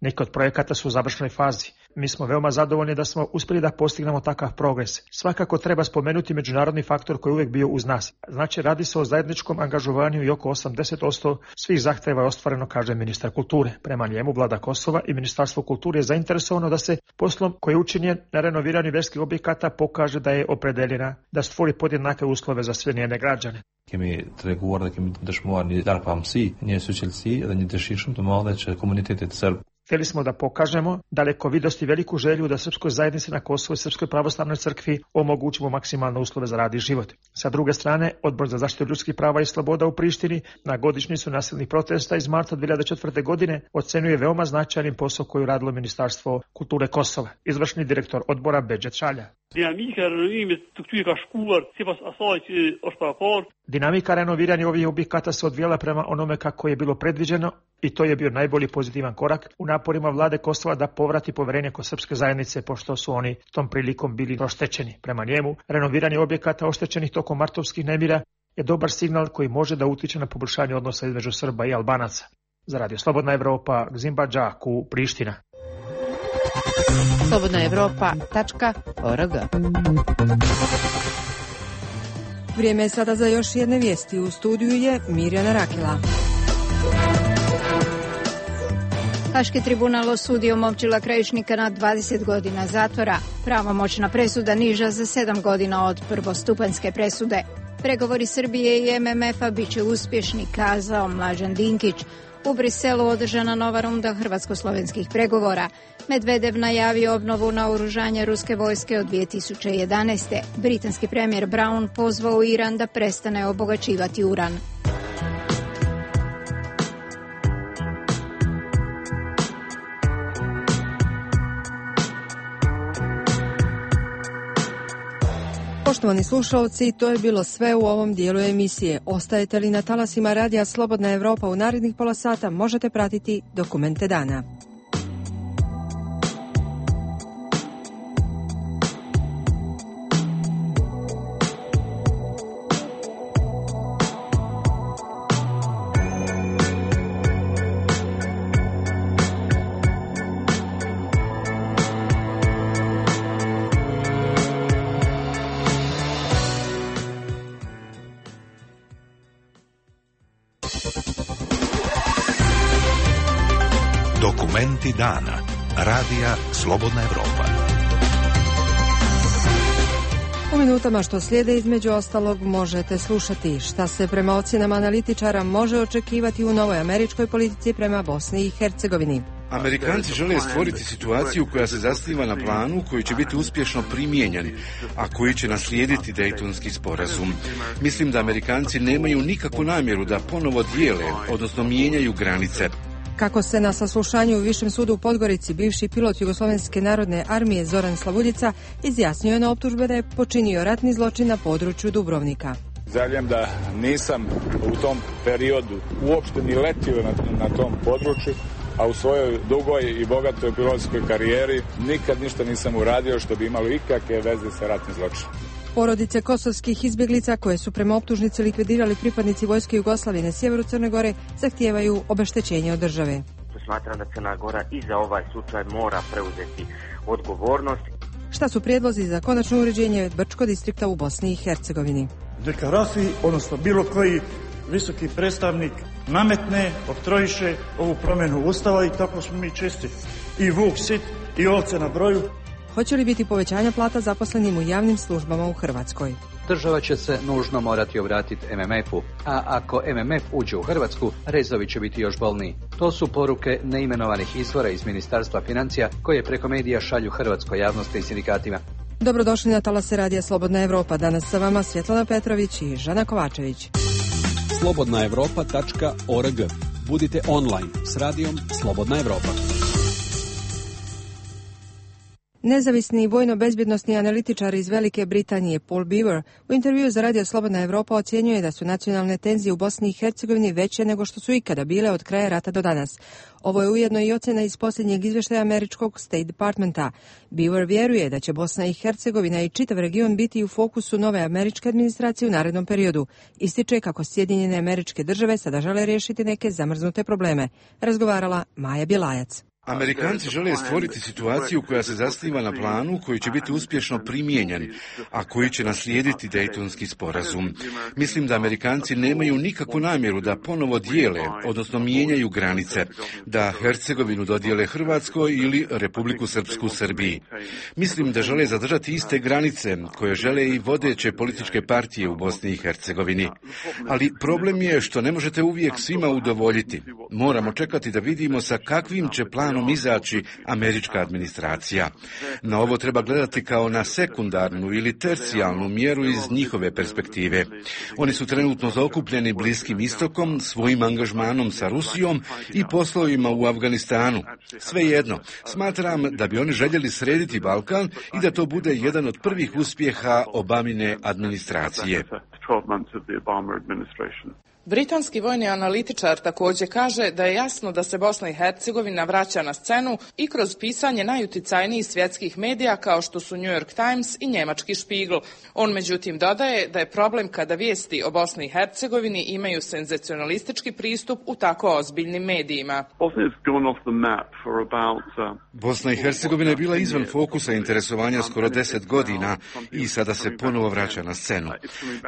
Neki od projekata su u završnoj fazi. Mi smo veoma zadovoljni da smo uspjeli da postignemo takav progres. Svakako treba spomenuti međunarodni faktor koji je uvijek bio uz nas. Znači, radi se o zajedničkom angažovanju i oko 80% svih zahtjeva je ostvareno, kaže ministar kulture. Prema njemu vlada Kosova i Ministarstvo kulture je zainteresovano da se poslom koji je učinjen na renoviranju verskih objekata pokaže da je opredeljena da stvori podjednake uslove za sve njene građane.
Kemi treguar dhe kemi dëshmuar një largpamësi, një suqelësi dhe një dëshirë të madhe që komunitetit serb.
Htjeli smo da pokažemo dalekovidost i veliku želju da srpskoj zajednici na Kosovu i Srpskoj pravoslavnoj crkvi omogućimo maksimalne uslove za rad i život. Sa druge strane, Odbor za zaštitu ljudskih prava i sloboda u Prištini na godišnjicu nasilnih protesta iz marta 2004. godine ocenjuje veoma značajnim posao koji je radilo Ministarstvo kulture Kosova. Izvršni direktor odbora Bedžet Šalja. Dinamika renoviranja ovih objekata se odvijala prema onome kako je bilo predviđeno i to je bio najbolji pozitivan korak u naporima vlade Kosova da povrati poverenje kod srpske zajednice, pošto su oni tom prilikom bili oštećeni. Prema njemu, renoviranje objekata oštećenih tokom martovskih nemira je dobar signal koji može da utiče na poboljšanje odnosa između Srba i Albanaca. Za Radio Slobodna Evropa, Gzim Badžaku, Priština.
slobodnaevropa.org.
Vrijeme je sada za još jedne vijesti. U studiju je Mirjana Rakila.
Haški tribunal osudio Momčila Krajišnika na 20 godina zatvora. Pravomoćna presuda niža za 7 godina od prvostupanjske presude. Pregovori Srbije i MMF-a bit će uspješni, kazao Mlađan Dinkić. U Briselu održana nova runda hrvatsko-slovenskih pregovora. Medvedev najavio obnovu naoružanja ruske vojske od 2011. Britanski premijer Brown pozvao Iran da prestane obogaćivati uran.
Poštovani slušalci, to je bilo sve u ovom dijelu emisije. Ostajete li na talasima Radija Slobodna Evropa u narednih pola sata, možete pratiti Dokumente dana.
Dokumenti dana. Radija Slobodna Evropa.
U minutama što slijede između ostalog možete slušati šta se prema ocjenama analitičara može očekivati u novoj američkoj politici prema Bosni i Hercegovini.
Amerikanci žele stvoriti situaciju koja se zasniva na planu koji će biti uspješno primijenjen, a koji će naslijediti Dejtonski sporazum. Mislim da Amerikanci nemaju nikakvu namjeru da ponovo dijele, odnosno mijenjaju granice.
Kako se na saslušanju u Višem sudu u Podgorici bivši pilot Jugoslovenske narodne armije Zoran Slavuljica izjasnio na optužbe da je počinio ratni zločin na području Dubrovnika.
Zaljem da nisam u tom periodu uopšte ni letio na tom području, a u svojoj dugoj i bogatoj pilotskoj karijeri nikad ništa nisam uradio što bi imalo ikakve veze sa ratnim zločinom.
Porodice kosovskih izbjeglica koje su prema optužnici likvidirali pripadnici vojske Jugoslavije na sjeveru Crne Gore zahtijevaju obeštećenje od države.
Smatram da Crna Gora i za ovaj slučaj mora preuzeti odgovornost.
Šta su prijedlozi za konačno uređenje Brčko distrikta u Bosni i Hercegovini?
Neka Rafi, odnosno bilo koji visoki predstavnik nametne, oktrojiše ovu promjenu Ustava i tako smo mi čisti. I vuk sit i ovce na broju.
Hoće li biti povećanja plata zaposlenim u javnim službama u Hrvatskoj?
Država će se nužno morati obratiti MMF-u, a ako MMF uđe u Hrvatsku, rezovi će biti još bolniji. To su poruke neimenovanih izvora iz Ministarstva financija koje preko medija šalju hrvatskoj javnosti i sindikatima.
Dobrodošli na talase Radija Slobodna Evropa. Danas sa vama Svjetlana Petrović i Žana Kovačević.
slobodnaevropa.org. Budite online s radijom Slobodna Evropa.
Nezavisni vojno-bezbjednosni analitičar iz Velike Britanije Paul Beaver u intervjuu za Radio Slobodna Evropa ocjenjuje da su nacionalne tenzije u Bosni i Hercegovini veće nego što su ikada bile od kraja rata do danas. Ovo je ujedno i ocjena iz posljednjeg izvještaja američkog State Departmenta. Beaver vjeruje da će Bosna i Hercegovina i čitav region biti u fokusu nove američke administracije u narednom periodu. Ističe kako Sjedinjene Američke Države sada žele riješiti neke zamrznute probleme. Razgovarala Maja Bjelajac.
Amerikanci žele stvoriti situaciju koja se zasniva na planu koji će biti uspješno primijenjen, a koji će naslijediti Dejtonski sporazum. Mislim da Amerikanci nemaju nikakvu namjeru da ponovo dijele, odnosno mijenjaju granice, da Hercegovinu dodijele Hrvatskoj ili Republiku Srpsku Srbiji. Mislim da žele zadržati iste granice koje žele i vodeće političke partije u Bosni i Hercegovini. Ali problem je što ne možete uvijek svima udovoljiti. Moramo čekati da vidimo sa kakvim će planom izaći američka administracija. Na ovo treba gledati kao na sekundarnu ili tercijalnu mjeru iz njihove perspektive. Oni su trenutno zaokupljeni Bliskim istokom, svojim angažmanom sa Rusijom i poslovima u Afganistanu. Svejedno, smatram da bi oni željeli srediti Balkan i da to bude jedan od prvih uspjeha Obamine administracije.
Britanski vojni analitičar također kaže da je jasno da se Bosna i Hercegovina vraća na scenu i kroz pisanje najuticajnijih svjetskih medija kao što su New York Times i njemački Spiegel. On međutim dodaje da je problem kada vijesti o Bosni i Hercegovini imaju senzacionalistički pristup u tako ozbiljnim medijima.
Bosna i Hercegovina je bila izvan fokusa interesovanja skoro 10 godina i sada se ponovo vraća na scenu.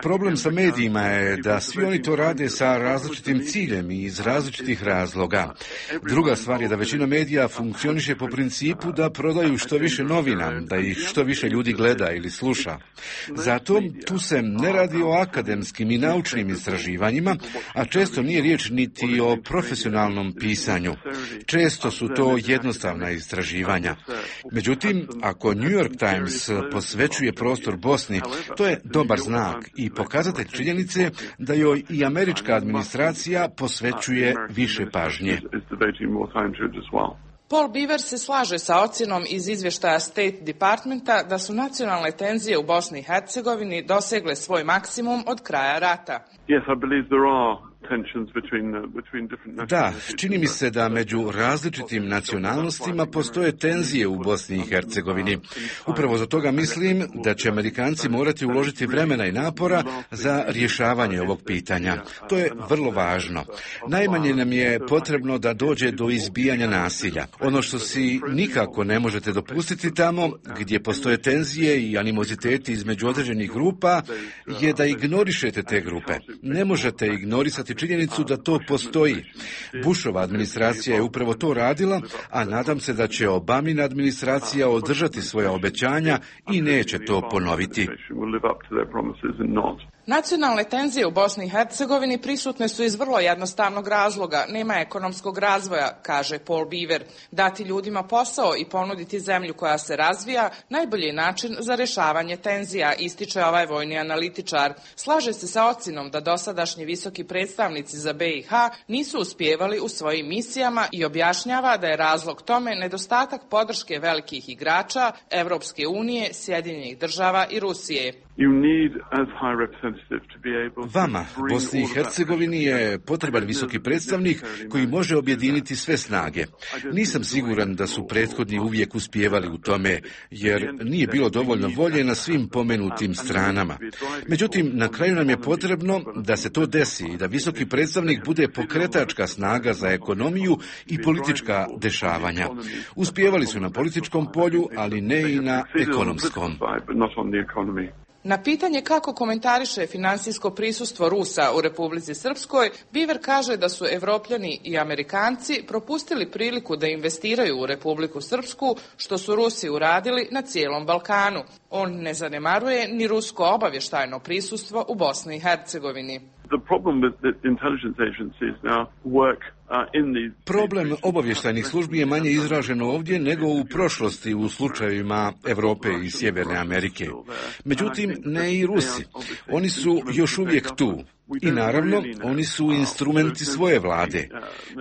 Problem sa medijima je da svi oni to rade sa različitim ciljem i iz različitih razloga. Druga stvar je da većina medija funkcioniše po principu da prodaju što više novina, da ih što više ljudi gleda ili sluša. Zato tu se ne radi o akademskim i naučnim istraživanjima, a često nije riječ niti o profesionalnom pisanju. Često su to jednostavna istraživanja. Međutim, ako New York Times posvećuje prostor Bosni, to je dobar znak i pokazatelj činjenice da joj i američka administracija posvećuje više pažnje.
Paul Beaver se slaže sa ocjenom iz izvještaja State Departmenta da su nacionalne tenzije u Bosni i Hercegovini dosegle svoj maksimum od kraja rata.
Da, čini mi se da među različitim nacionalnostima postoje tenzije u Bosni i Hercegovini. Upravo za toga mislim da će Amerikanci morati uložiti vremena i napora za rješavanje ovog pitanja. To je vrlo važno. Najmanje nam je potrebno da dođe do izbijanja nasilja. Ono što si nikako ne možete dopustiti tamo gdje postoje tenzije i animoziteti između određenih grupa je da ignorišete te grupe. Ne možete ignorisati ignorirati činjenicu da to postoji. Bushova administracija je upravo to radila, a nadam se da će Obamina administracija održati svoja obećanja i neće to ponoviti.
Nacionalne tenzije u Bosni i Hercegovini prisutne su iz vrlo jednostavnog razloga. Nema ekonomskog razvoja, kaže Paul Beaver. Dati ljudima posao i ponuditi zemlju koja se razvija najbolji je način za rešavanje tenzija, ističe ovaj vojni analitičar. Slaže se sa ocjenom da dosadašnji visoki predstavnici za BiH nisu uspijevali u svojim misijama i objašnjava da je razlog tome nedostatak podrške velikih igrača Evropske unije, Sjedinjenih država i Rusije.
Vama, Bosni i Hercegovini, je potreban visoki predstavnik koji može objediniti sve snage. Nisam siguran da su prethodni uvijek uspijevali u tome, jer nije bilo dovoljno volje na svim pomenutim stranama. Međutim, na kraju nam je potrebno da se to desi i da visoki predstavnik bude pokretačka snaga za ekonomiju i politička dešavanja. Uspijevali su na političkom polju, ali ne i na ekonomskom.
Na pitanje kako komentariše finansijsko prisustvo Rusa u Republici Srpskoj, Beaver kaže da su Evropljani i Amerikanci propustili priliku da investiraju u Republiku Srpsku, što su Rusi uradili na cijelom Balkanu. On ne zanemaruje ni rusko obavještajno prisustvo u Bosni i Hercegovini.
Problem obavještajnih službi je manje izražen ovdje nego u prošlosti u slučajevima Europe i Sjeverne Amerike. Međutim, ne i Rusi. Oni su još uvijek tu. I naravno, oni su instrumenti svoje vlade.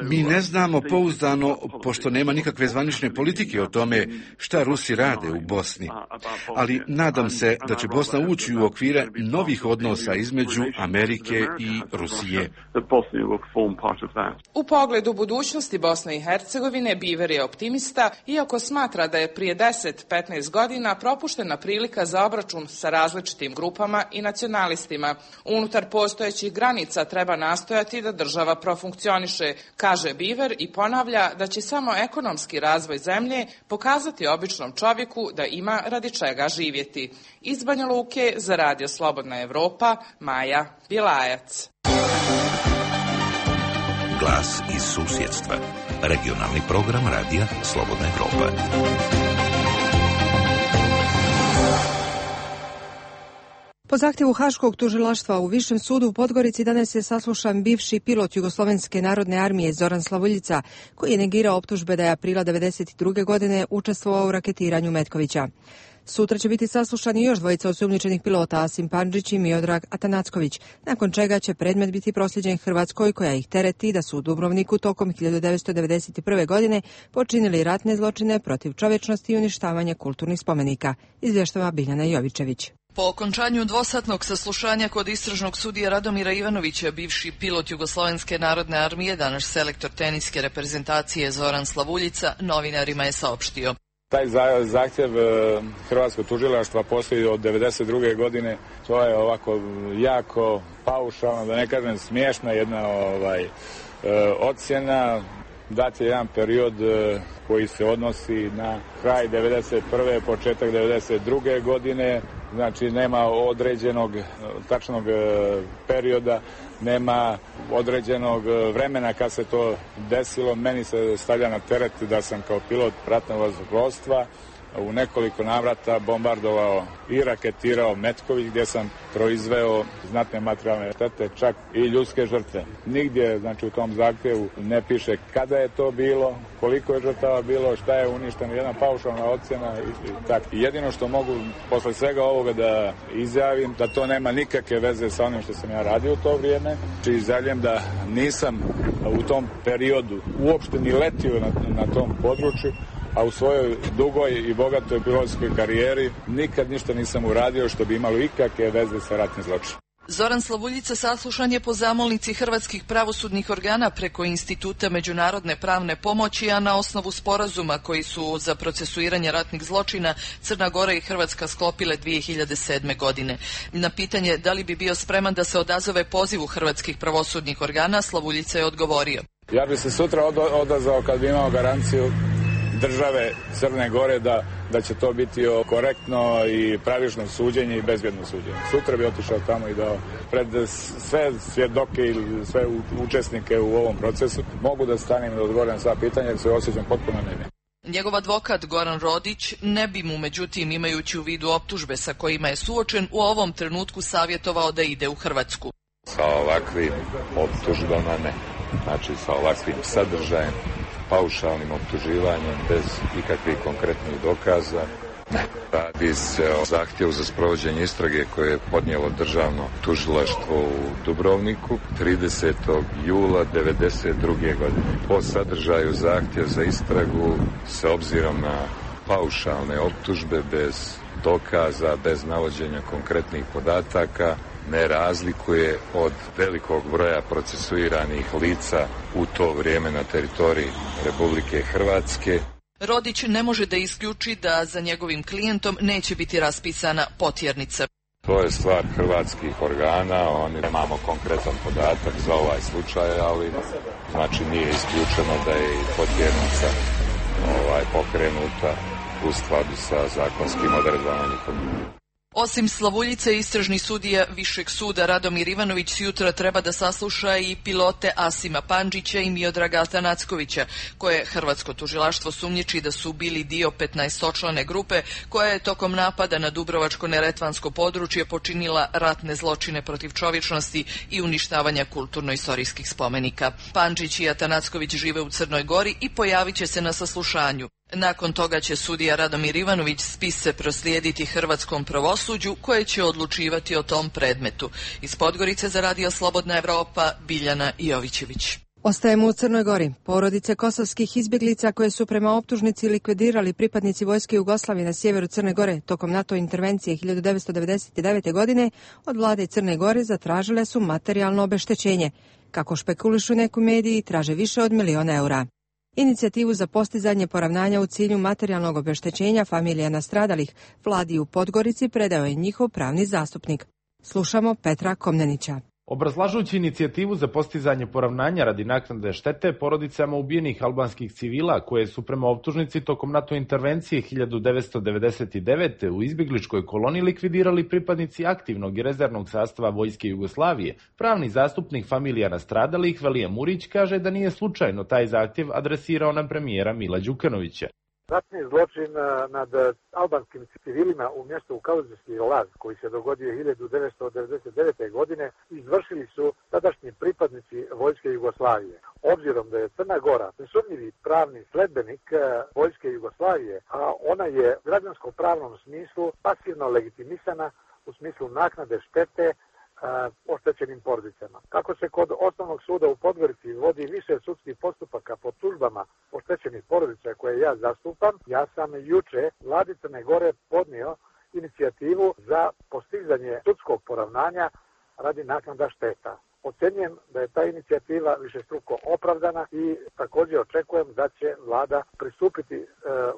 Mi ne znamo pouzdano, pošto nema nikakve zvanične politike o tome šta Rusi rade u Bosni. Ali nadam se da će Bosna ući u okvire novih odnosa između Amerike i Rusije.
U pogledu budućnosti Bosne i Hercegovine, Beaver je optimista, iako smatra da je prije 10-15 godina propuštena prilika za obračun sa različitim grupama i nacionalistima. Unutar postojećih granica treba nastojati da država profunkcioniše, kaže Beaver i ponavlja da će samo ekonomski razvoj zemlje pokazati običnom čovjeku da ima radi čega živjeti. Iz Banja Luke za Radio Slobodna Evropa, Maja Bjelajac.
Glas iz susjedstva. Regionalni program Radija Slobodna Evropa.
Po zahtjevu Haškog tužilaštva u Višem sudu u Podgorici danas je saslušan bivši pilot Jugoslovenske narodne armije Zoran Slavuljica, koji je negirao optužbe da je aprila 1992. godine učestvovao u raketiranju Metkovića. Sutra će biti saslušani još dvojica osumnjičenih pilota, Asim Pandžić i Miodrag Atanacković, nakon čega će predmet biti prosljeđen Hrvatskoj, koja ih tereti da su u Dubrovniku tokom 1991. godine počinili ratne zločine protiv čovječnosti i uništavanje kulturnih spomenika, izvještava Biljana Jovičević.
Po okončanju dvosatnog saslušanja kod istražnog sudije Radomira Ivanovića, bivši pilot Jugoslovenske narodne armije, danas selektor teniske reprezentacije Zoran Slavuljica, novinarima je saopštio.
Taj zahtjev Hrvatskog tužilaštva postoji od 1992. godine. To je ovako jako paušalno, da ne kažem smiješna jedna ocjena. Dat je jedan period koji se odnosi na kraj 1991. početak 1992. godine. Znači nema određenog tačnog perioda, nema određenog vremena kad se to desilo. Meni se stavlja na teret da sam kao pilot ratnog vazduhoplovstva u nekoliko navrata bombardovao i raketirao Metković, gdje sam proizveo znatne materijalne štete, čak i ljudske žrtve. Nigdje, znači, u tom zahtjevu ne piše kada je to bilo, koliko je žrtava bilo, šta je uništeno, jedna paušalna ocjena i tako. Jedino što mogu posle svega ovoga da izjavim, da to nema nikakve veze sa onim što sam ja radio u to vrijeme. Znači, izjavljam da nisam u tom periodu uopšte ni letio na tom području, a u svojoj dugoj i bogatoj pilotskoj karijeri nikad ništa nisam uradio što bi imalo ikakve veze sa ratnim zločinom.
Zoran Slavuljica saslušan je po zamolnici hrvatskih pravosudnih organa preko Instituta međunarodne pravne pomoći, a na osnovu sporazuma koji su za procesuiranje ratnih zločina Crna Gora i Hrvatska sklopile 2007. godine. Na pitanje da li bi bio spreman da se odazove pozivu hrvatskih pravosudnih organa, Slavuljica je odgovorio.
Ja bi se sutra odazvao kad bi imao garanciju države Crne Gore da će to biti korektno i pravično suđenje i bezbjedno suđenje. Sutra bi otišao tamo i dao pred sve svjedoke ili sve učesnike u ovom procesu. Mogu da stanem i da odgovorim na sva pitanja jer se osjećam potpuno nevin.
Njegov advokat Goran Rodić ne bi mu, međutim, imajući u vidu optužbe sa kojima je suočen, u ovom trenutku savjetovao da ide u Hrvatsku.
Sa ovakvim optužbama ne. Znači sa ovakvim sadržajem, paušalnim optuživanjem bez ikakvih konkretnih dokaza. Ne. Radi se o zahtjevu za sprovođenje istrage koje je podnijelo državno tužilaštvo u Dubrovniku 30. jula 1992. godine. Po sadržaju zahtjev za istragu s obzirom na paušalne optužbe bez dokaza, bez navođenja konkretnih podataka, ne razlikuje od velikog broja procesuiranih lica u to vrijeme na teritoriji Republike Hrvatske.
Rodić ne može da isključi da za njegovim klijentom neće biti raspisana potjernica.
To je stvar hrvatskih organa, oni nemamo konkretan podatak za ovaj slučaj, ali znači nije isključeno da je i potjernica pokrenuta u skladu sa zakonskim odredbama njihovim.
Osim Slavuljice, istražni sudija Višeg suda Radomir Ivanović jutra treba da sasluša i pilote Asima Pandžića i Miodraga Atanackovića, koje hrvatsko tužilaštvo sumnjiči da su bili dio 15-člane grupe koja je tokom napada na Dubrovačko-neretvansko područje počinila ratne zločine protiv čovječnosti i uništavanja kulturno-istorijskih spomenika. Pandžić i Atanacković žive u Crnoj Gori i pojavit će se na saslušanju. Nakon toga će sudija Radomir Ivanović spise proslijediti hrvatskom pravosuđu koje će odlučivati o tom predmetu. Iz Podgorice za Radio Slobodna Evropa, Biljana Jovićević.
Ostajemo u Crnoj Gori. Porodice kosovskih izbjeglica koje su prema optužnici likvidirali pripadnici vojske Jugoslavije na sjeveru Crne Gore tokom NATO intervencije 1999. godine od vlade Crne Gore zatražile su materijalno obeštećenje. Kako špekulišu neki mediji, traže više od 1 milion eura. Inicijativu za postizanje poravnanja u cilju materijalnog obeštećenja familija nastradalih vladi u Podgorici predao je njihov pravni zastupnik. Slušamo Petra Komnenića.
Obrazlažući inicijativu za postizanje poravnanja radi naknade štete porodicama ubijenih albanskih civila koje su prema optužnici tokom NATO intervencije 1999. u izbjegličkoj koloniji likvidirali pripadnici aktivnog i rezervnog sastava vojske Jugoslavije, pravni zastupnik familija nastradalih Velije Murić kaže da nije slučajno taj zahtjev adresirao na premijera Mila Đukanovića.
Ratni zločin nad albanskim civilima u mjestu Kaluđerski Laz, koji se dogodio 1999. godine, izvršili su tadašnji pripadnici vojske Jugoslavije. Obzirom da je Crna Gora nesumnjivi pravni sledbenik vojske Jugoslavije, a ona je u građansko-pravnom smislu pasivno legitimisana u smislu naknade štete oštećenim porodicama. Kako se kod osnovnog suda u Podgorici vodi više sudskih postupaka po tužbama oštećenih porodica koje ja zastupam, ja sam juče vladi Crne Gore podnio inicijativu za postizanje sudskog poravnanja radi naknada šteta. Ocenjujem da je ta inicijativa višestruko opravdana i također očekujem da će vlada pristupiti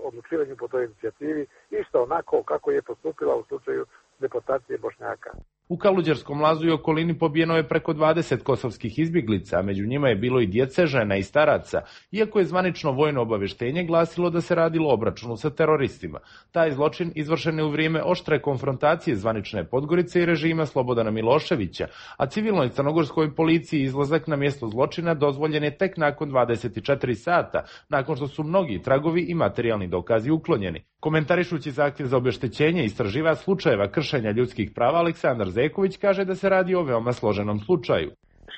odlučivanju po toj inicijativi isto onako kako je postupila u slučaju deportacije Bošnjaka.
U Kaluđerskom Lazu i okolini pobijeno je preko 20 kosovskih izbjeglica, a među njima je bilo i djece, žena i staraca, iako je zvanično vojno obavještenje glasilo da se radilo o obračunu sa teroristima. Taj zločin izvršen je u vrijeme oštre konfrontacije zvanične Podgorice i režima Slobodana Miloševića, a civilnoj crnogorskoj policiji izlazak na mjesto zločina dozvoljen je tek nakon 24 sata, nakon što su mnogi tragovi i materijalni dokazi uklonjeni. Komentarišući zahtjev za obeštećenje istraživač slučajeva kršenja ljudskih prava Aleksandar Zeković kaže da se radi o veoma složenom slučaju.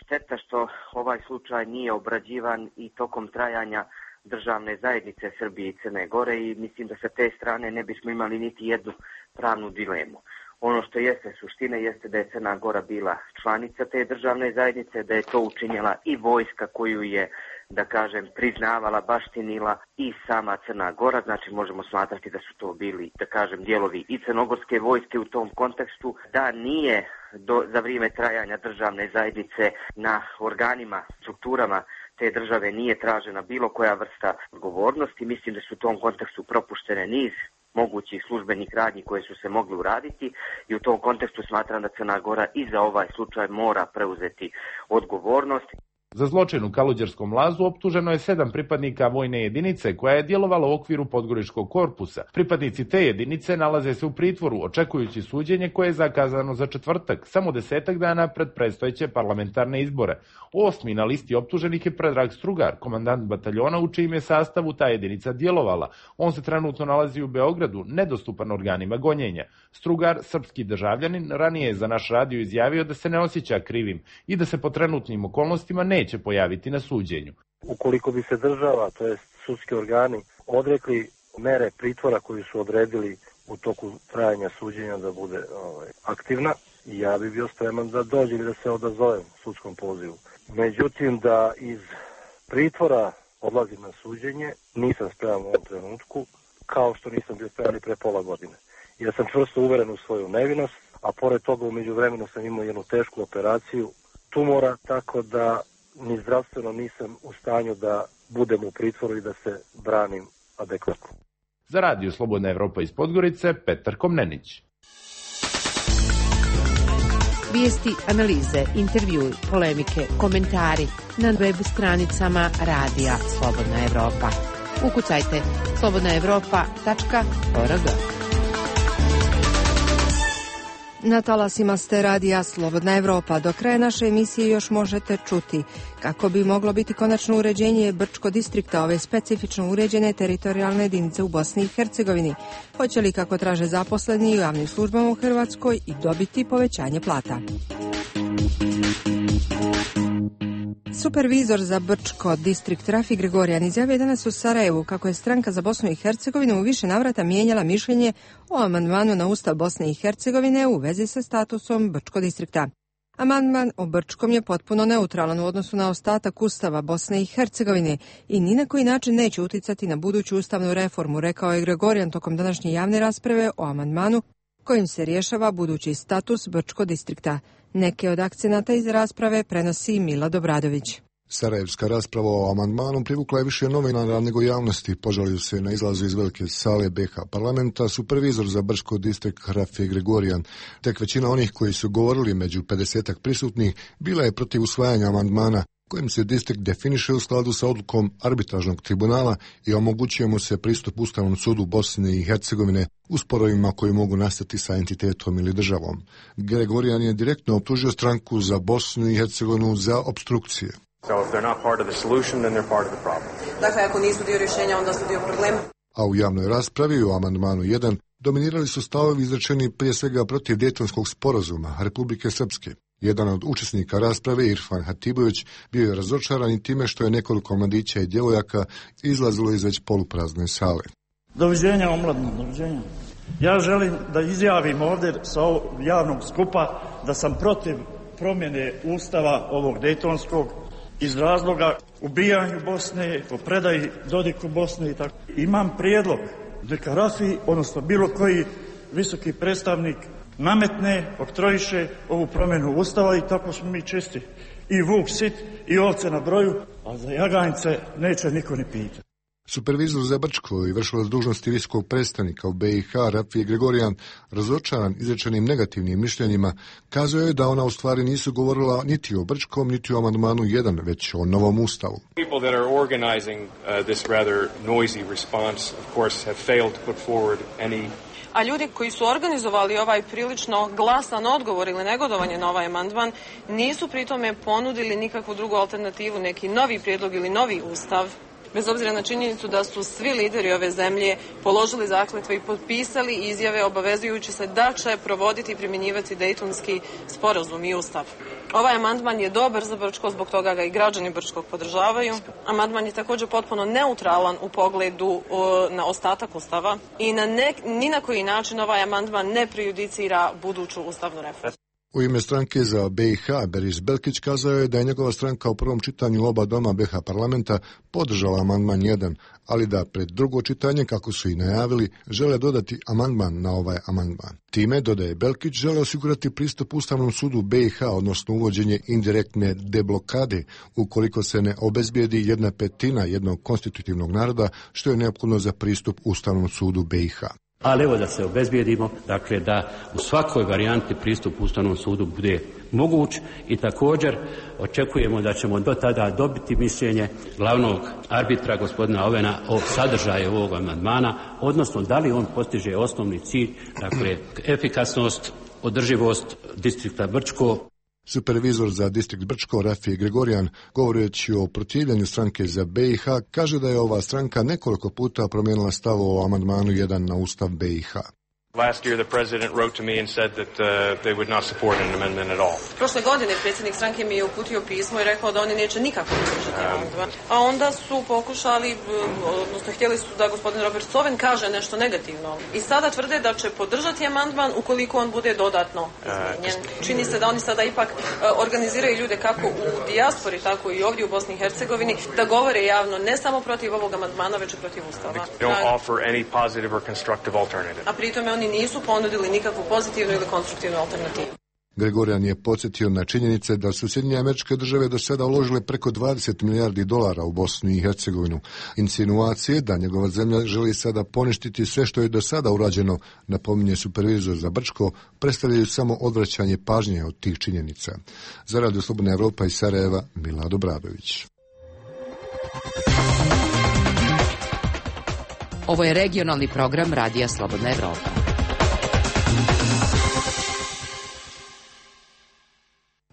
Šteta što ovaj slučaj nije obrađivan i tokom trajanja državne zajednice Srbije i Crne Gore i mislim da sa te strane ne bismo imali niti jednu pravnu dilemu. Ono što jeste suština jeste da je Crna Gora bila članica te državne zajednice, da je to učinjela i vojska koju je, da kažem, priznavala, baštinila i sama Crna Gora, znači možemo smatrati da su to bili, da kažem, dijelovi i crnogorske vojske u tom kontekstu, da nije za vrijeme trajanja državne zajednice na organima, strukturama te države nije tražena bilo koja vrsta odgovornosti. Mislim da su u tom kontekstu propuštene niz mogućih službenih radnji koje su se mogli uraditi i u tom kontekstu smatram da Crna Gora i za ovaj slučaj mora preuzeti odgovornost.
Za zločin u Kaluđerskom lazu optuženo je 7 pripadnika vojne jedinice koja je djelovala u okviru Podgoričkog korpusa. Pripadnici te jedinice nalaze se u pritvoru očekujući suđenje koje je zakazano za četvrtak, samo 10 dana pred predstojeće parlamentarne izbore. 8. na listi optuženih je Predrag Strugar, komandant bataljona u čijem je sastavu ta jedinica djelovala. On se trenutno nalazi u Beogradu, nedostupan organima gonjenja. Strugar, srpski državljanin, ranije je za naš radio izjavio da se ne osjeća krivim i da se po trenutnim okolnostima neće pojaviti na suđenju.
Ukoliko bi se država, to jest sudski organi, odrekli mere pritvora koju su odredili u toku trajanja suđenja da bude aktivna, ja bi bio spreman da dođem i da se odazovem sudskom pozivu. Međutim, da iz pritvora odlazim na suđenje, nisam spreman u ovom trenutku, kao što nisam bio spreman i pre pola godine. Jer sam čvrsto uveren u svoju nevinost, a pored toga u međuvremenu sam imao jednu tešku operaciju tumora, tako da ni zdravstveno nisam u stanju da budem u pritvoru i da se branim adekvatno.
Za radio Slobodna Evropa iz Podgorice, Petar Komnenić.
Vijesti, analize, intervjui, polemike, komentari na web stranicama radija Slobodna Evropa. Ukucajte slobodnaevropa.org.
Na talasima ste radija Slobodna Evropa. Do kraja naše emisije još možete čuti kako bi moglo biti konačno uređenje Brčko distrikta, ove specifično uređene teritorijalne jedinice u Bosni i Hercegovini. Hoće li, kako traže zaposleni u javnim službama u Hrvatskoj, i dobiti povećanje plata? Supervizor za Brčko distrikt Rafi Gregorijan izjavio danas u Sarajevu kako je stranka za Bosnu i Hercegovinu u više navrata mijenjala mišljenje o amandmanu na Ustav Bosne i Hercegovine u vezi sa statusom Brčko distrikta. Amandman o Brčkom je potpuno neutralan u odnosu na ostatak Ustava Bosne i Hercegovine i ni na koji način neće uticati na buduću ustavnu reformu, rekao je Gregorijan tokom današnje javne rasprave o amandmanu kojim se rješava budući status Brčko distrikta. Neke od akcenata iz rasprave prenosi Milad Obradović.
Sarajevska rasprava o amandmanu privukla je više novinara nego javnosti. Požalio se na izlazu iz velike sale BiH parlamenta supervizor za Brčko distrikt Rafi Gregorijan. Tek većina onih koji su govorili među 50 prisutnih bila je protiv usvajanja amandmana kojim se distrikt definiše u skladu sa odlukom arbitražnog tribunala i omogućuje mu se pristup Ustavnom sudu Bosne i Hercegovine u sporovima koji mogu nastati sa entitetom ili državom. Gregorijan je direktno optužio stranku za Bosnu i Hercegovinu za opstrukcije.
Dakle, ako nisu dio rješenja, onda su dio problema.
A u javnoj raspravi o amandmanu 1 dominirali su stavovi izrečeni prije svega protiv Dejtonskog sporazuma Republike Srpske. Jedan od učesnika rasprave, Irfan Hatibović, bio je razočaran i time što je nekoliko mladića i djevojaka izlazilo iz već poluprazne sale.
Doviđenja omladno, doviđenja. Ja želim da izjavim ovdje sa ovog javnog skupa da sam protiv promjene ustava ovog Dejtonskog iz razloga ubijanju Bosne, po predaji Dodiku Bosne i tako. Imam prijedlog neka Rafi, odnosno bilo koji visoki predstavnik nametne, oktrojiše ovu promjenu ustava i tako smo mi čisti. I vuk sit i ovce na broju, a za jaganjce neće niko ni pitati.
Supervizor za Brčko i vršilac dužnosti visokog predstavnika u BiH Rafi Gregorijan, razočaran izrečenim negativnim mišljenjima, kazao je da ona u stvari nisu govorila niti o Brčkom, niti o amandmanu 1, već o novom ustavu.
People that are organizing this rather noisy response, of course, have failed to put forward any.
A ljudi koji su organizovali ovaj prilično glasan odgovor ili negodovanje na ovaj amandman nisu pritome ponudili nikakvu drugu alternativu, neki novi prijedlog ili novi ustav, bez obzira na činjenicu da su svi lideri ove zemlje položili zakletve i potpisali izjave obavezujući se da će provoditi i primjenjivati Dejtonski sporazum i ustav. Ovaj amandman je dobar za Brčko, zbog toga ga i građani Brčkog podržavaju. Amandman je također potpuno neutralan u pogledu na ostatak ustava i ni na koji način ovaj amandman ne prejudicira buduću ustavnu reformu.
U ime stranke za BiH Beris Belkić kazao je da je njegova stranka u prvom čitanju oba doma BiH parlamenta podržala amandman 1, ali da pred drugo čitanje, kako su i najavili, žele dodati amandman na ovaj amandman. Time, dodaje Belkić, žele osigurati pristup Ustavnom sudu BiH, odnosno uvođenje indirektne deblokade, ukoliko se ne obezbijedi 1/5 jednog konstitutivnog naroda, što je neophodno za pristup Ustavnom sudu BiH.
Ali evo da se obezbijedimo, dakle da u svakoj varijanti pristup Ustavnom sudu bude moguć i također očekujemo da ćemo do tada dobiti mišljenje glavnog arbitra gospodina Ovena o sadržaju ovog amandmana, odnosno da li on postiže osnovni cilj, dakle efikasnost, održivost distrikta Brčko.
Supervizor za distrikt Brčko Rafije Gregorijan, govoreći o protivljenju stranke za BiH, kaže da je ova stranka nekoliko puta promijenila stav o amandmanu 1 na Ustav BiH.
Last year the president wrote to me and said that they would not support an amendment at all.
Prošle godine predsjednik stranke mi je uputio pismo i rekao da oni neće nikako podržati amandman. A onda su pokušali, odnosno htjeli su da gospodin Robert Coven kaže nešto negativno. I sada tvrde da će podržati amandman ukoliko on bude dodatno izmijenjen. Čini se da oni sada ipak organiziraju ljude kako u dijaspori, tako i ovdje u Bosni i Hercegovini da govore javno ne samo protiv ovog amandmana, već i protiv Ustava. A pritome oni nisu ponudili nikakvu pozitivnu ili konstruktivnu alternativu.
Gregorijan je podsjetio na činjenice da su Sjedinjene Američke Države do sada uložile preko 20 milijardi dolara u Bosnu i Hercegovinu. Insinuacije da njegova zemlja želi sada poništiti sve što je do sada urađeno, napominje supervizor za Brčko, predstavljaju samo odvraćanje pažnje od tih činjenica. Za Radio Slobodna Evropa iz Sarajeva, Milad Obradović.
Ovo je regionalni program Radija Slobodna Evropa.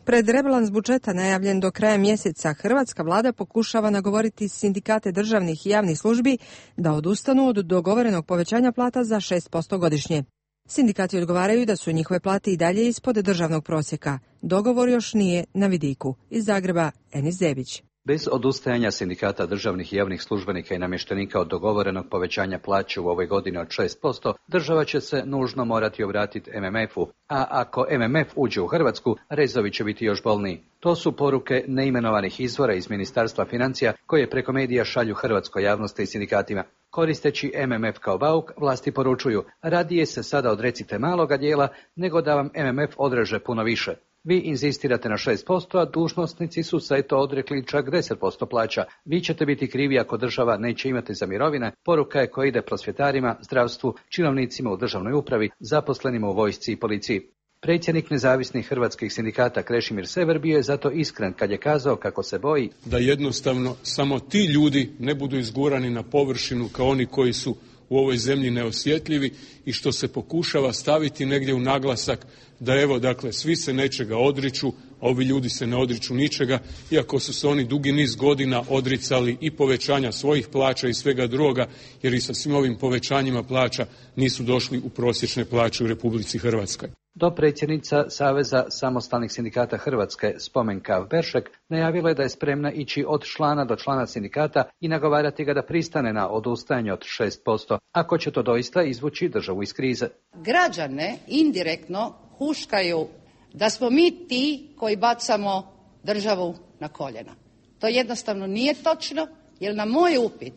Pred rebalans budžeta najavljen do kraja mjeseca, hrvatska vlada pokušava nagovoriti sindikate državnih i javnih službi da odustanu od dogovorenog povećanja plata za 6% godišnje. Sindikati odgovaraju da su njihove plate i dalje ispod državnog prosjeka. Dogovor još nije na vidiku. Iz Zagreba, Enis Zebić.
Bez odustajanja sindikata državnih i javnih službenika i namještenika od dogovorenog povećanja plaće u ovoj godini od 6%, država će se nužno morati obratiti MMF-u, a ako MMF uđe u Hrvatsku, rezovi će biti još bolniji. To su poruke neimenovanih izvora iz Ministarstva financija koje preko medija šalju hrvatskoj javnosti i sindikatima. Koristeći MMF kao bauk, vlasti poručuju: radije se sada odrecite maloga dijela nego da vam MMF odreže puno više. Vi inzistirate na 6%, a dužnosnici su se to odrekli čak 10% plaća. Vi ćete biti krivi ako država neće imati za mirovine. Poruka je koja ide prosvjetarima, zdravstvu, činovnicima u državnoj upravi, zaposlenima u vojsci i policiji. Predsjednik nezavisnih hrvatskih sindikata Krešimir Sever bio je zato iskren kad je kazao kako se boji
da jednostavno samo ti ljudi ne budu izgurani na površinu kao oni koji su u ovoj zemlji neosjetljivi i što se pokušava staviti negdje u naglasak da evo, dakle, svi se nečega odriču, a ovi ljudi se ne odriču ničega, iako su se oni dugi niz godina odricali i povećanja svojih plaća i svega drugoga, jer i sa svim ovim povećanjima plaća nisu došli u prosječne plaće u Republici Hrvatskoj.
Dopredsjednica Saveza samostalnih sindikata Hrvatske Spomenka Beršek najavila je da je spremna ići od člana do člana sindikata i nagovarati ga da pristane na odustajanje od 6%, ako će to doista izvući državu iz krize.
Građane indirektno huškaju da smo mi ti koji bacamo državu na koljena. To jednostavno nije točno, jer na moj upit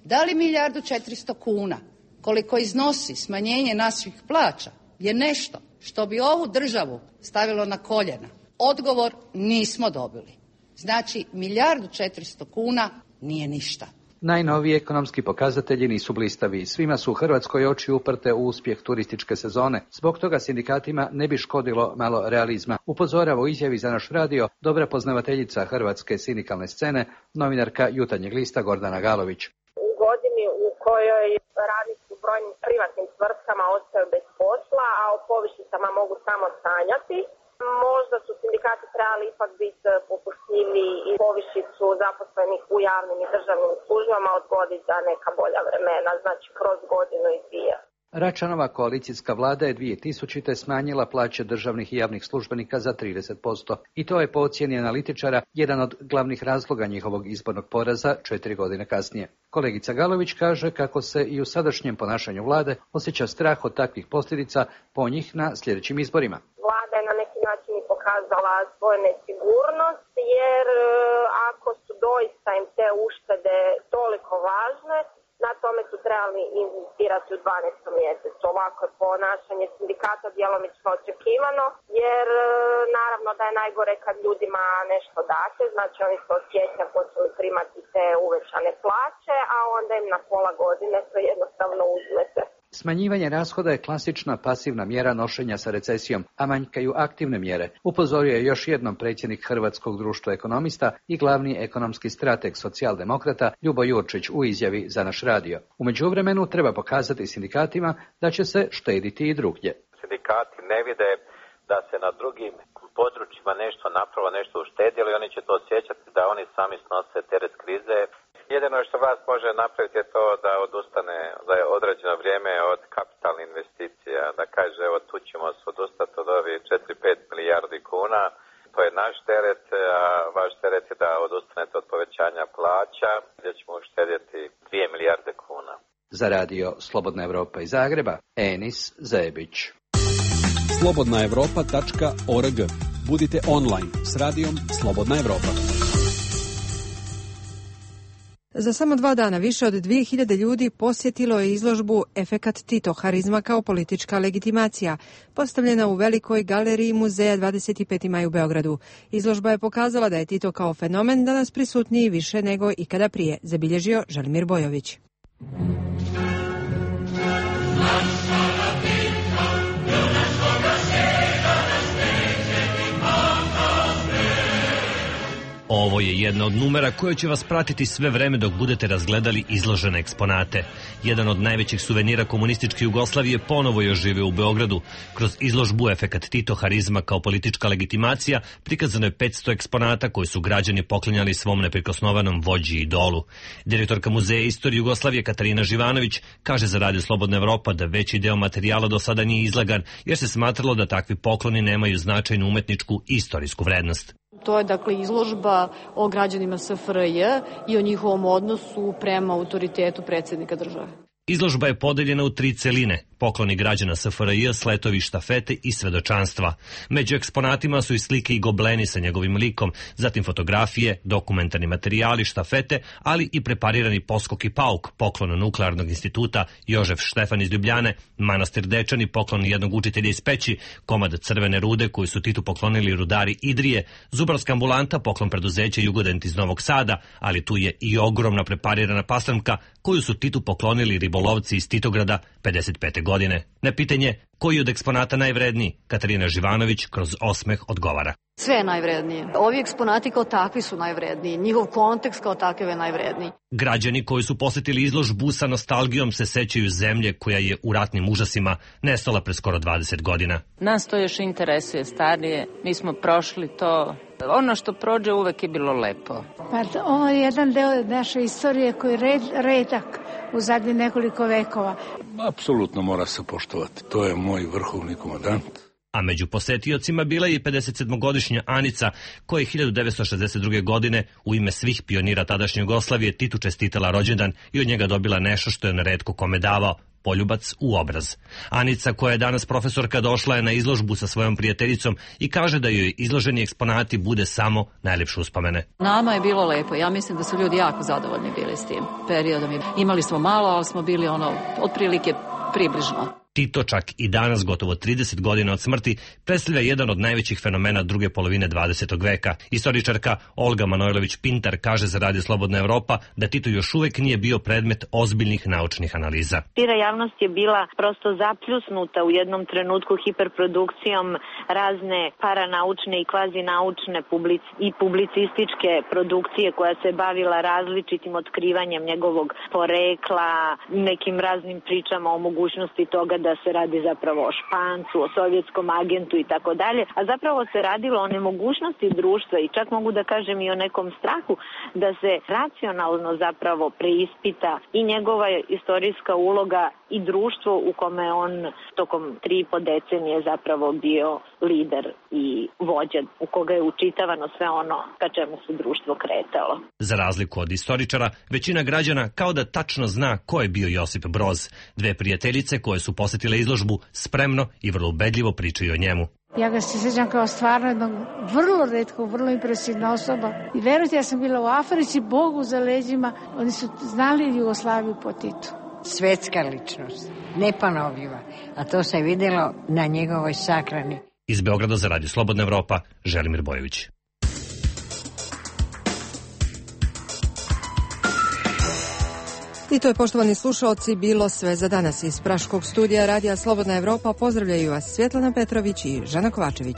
da li 1.400.000 kuna koliko iznosi smanjenje naših plaća je nešto što bi ovu državu stavilo na koljena, odgovor nismo dobili. Znači 1.400.000 kuna nije ništa.
Najnoviji ekonomski pokazatelji nisu blistavi. Svima su u Hrvatskoj oči uprte u uspjeh turističke sezone. Zbog toga sindikatima ne bi škodilo malo realizma. Upozorava u izjavi za naš radio dobra poznavateljica hrvatske sindikalne scene, novinarka Jutarnjeg lista Gordana Galović.
U godini u kojoj radnici u brojnim privatnim tvrtkama ostaju bez posla, a o povišicama mogu samo sanjati, možda su sindikati trebali ipak biti popustljiviji i povišicu zaposlenih u javnim i državnim službama odgoditi za neka bolja vremena, znači kroz godinu i dvije.
Račanova koalicijska vlada je 2000. smanjila plaće državnih i javnih službenika za 30%. I to je po ocjeni analitičara jedan od glavnih razloga njihovog izbornog poraza 4 godine kasnije. Kolegica Galović kaže kako se i u sadašnjem ponašanju vlade osjeća strah od takvih posljedica po njih na sljedećim izborima.
Vlada je na neki način i pokazala svoju nesigurnost, jer ako su doista im te uštede toliko važne, na tome su trebali inzistirati u 12. mjesecu. Ovako je ponašanje sindikata djelomično očekivano, jer naravno da je najgore kad ljudima nešto date, znači oni se od siječnja počeli primati te uvećane plaće, a onda im na pola godine to jednostavno uzmete.
Smanjivanje rashoda je klasična pasivna mjera nošenja sa recesijom, a manjkaju aktivne mjere, upozorio je još jednom predsjednik Hrvatskog društva ekonomista i glavni ekonomski strateg socijaldemokrata Ljubo Jurčić u izjavi za naš radio. U međuvremenu treba pokazati sindikatima da će se štediti i drugdje.
Sindikati ne vide da se na drugim područjima nešto napravilo, nešto uštedjelo i oni će to osjećati da oni sami snose teret krize. Jedino što vlast može napraviti je to da odustane za određeno vrijeme od kapitalnih investicija, da kaže evo tu ćemo se odustati od ovih 4-5 milijardi kuna, to je naš teret, a vaš teret je da odustanete od povećanja plaća gdje ćemo uštedjeti 2 milijarde kuna.
Za radio Slobodna Evropa iz Zagreba, Enis Zebić.
slobodnaevropa.org. Budite online s radijom Slobodna Evropa.
Za samo 2 dana više od 2000 ljudi posjetilo je izložbu Efekat Tito, harizma kao politička legitimacija, postavljena u velikoj galeriji muzeja 25. maj u Beogradu. Izložba je pokazala da je Tito kao fenomen danas prisutniji više nego ikada prije, zabilježio Želimir Bojović.
Ovo je jedna od numera koja će vas pratiti sve vreme dok budete razgledali izložene eksponate. Jedan od najvećih suvenira komunističke Jugoslavije ponovo je oživio u Beogradu. Kroz izložbu Efekat Tito, harizma kao politička legitimacija prikazano je 500 eksponata koji su građani poklanjali svom neprikosnovanom vođi i idolu. Direktorka Muzeja istorije Jugoslavije Katarina Živanović kaže za Radio Slobodna Evropa da veći deo materijala do sada nije izlagan jer se smatralo da takvi pokloni nemaju značajnu umetničku i istorijsku vrednost.
To je dakle izložba o građanima SFRJ i o njihovom odnosu prema autoritetu predsjednika države.
Izložba je podeljena u 3 celine, pokloni građana SFRJ, sletovi, štafete i svedočanstva. Među eksponatima su i slike i gobleni sa njegovim likom, zatim fotografije, dokumentarni materijali, štafete, ali i preparirani poskok i pauk, poklon Nuklearnog instituta Jožef Štefan iz Ljubljane, manastir Dečani, poklon jednog učitelja iz Peći, komad crvene rude koju su Titu poklonili rudari Idrije, zubarska ambulanta, poklon preduzeća Jugodent iz Novog Sada, ali tu je i ogromna preparirana paslemka koju su Titu poklonili ribolovci iz Titograda 55. godine. Na pitanje koji od eksponata najvredniji, Katarina Živanović kroz osmeh odgovara.
Sve je najvrednije. Ovi eksponati kao takvi su najvredniji. Njihov kontekst kao takav je najvredniji.
Građani koji su posjetili izložbu sa nostalgijom se sećaju zemlje koja je u ratnim užasima nestala pre skoro 20 godina.
Nas to još interesuje starije. Mi smo prošli to. Ono što prođe uvek je bilo lepo.
Pa ovo je jedan deo naše istorije koji je redak u zadnjih nekoliko vekova.
Apsolutno mora se poštovati. To je moj vrhovni komandant.
A među posetiocima bila je i 57-godišnja Anica, koja je 1962. godine u ime svih pionira tadašnje Jugoslavije Titu čestitala rođendan i od njega dobila nešto što je neretko kome davao, poljubac u obraz. Anica, koja je danas profesorka, došla je na izložbu sa svojom prijateljicom i kaže da joj izloženi eksponati bude samo najljepše uspomene.
Nama je bilo lepo. Ja mislim da su ljudi jako zadovoljni bili s tim periodom. Imali smo malo, ali smo bili otprilike približno.
Tito čak i danas, gotovo 30 godina od smrti, predstavlja jedan od najvećih fenomena druge polovine 20. veka. Istoričarka Olga Manojlović-Pintar kaže za Radio Slobodna Evropa da Tito još uvek nije bio predmet ozbiljnih naučnih analiza.
Šira javnost je bila prosto zapljusnuta u jednom trenutku hiperprodukcijom razne paranaučne i kvazinaučne i publicističke produkcije koja se bavila različitim otkrivanjem njegovog porekla, nekim raznim pričama o mogućnosti toga da se radi zapravo o Špancu, o sovjetskom agentu i tako dalje, a zapravo se radilo o nemogućnosti društva i čak mogu da kažem i o nekom strahu da se racionalno zapravo preispita i njegova istorijska uloga i društvo u kome on tokom 3,5 decenije zapravo bio lider i vođa, u koga je učitavano sve ono ka čemu se društvo kretalo.
Za razliku od istoričara, većina građana kao da tačno zna ko je bio Josip Broz. Dve prijateljice koje su posjetile izložbu spremno i vrlo ubedljivo pričaju o njemu.
Ja ga se sjećam kao stvarno jednog vrlo retkog, vrlo impresivna osoba. I verujte, ja sam bila u Africi, Bogu za leđima. Oni su znali Jugoslaviju po Titu.
Svetska ličnost, neponovljiva, a to se vidjelo na njegovoj sahrani.
Iz Beograda za Radio Slobodna Evropa, Želimir Bojović.
I to je, poštovani slušalci, bilo sve za danas. Iz Praškog studija Radija Slobodna Evropa pozdravljaju vas Svjetlana Petrović i Žana Kovačević.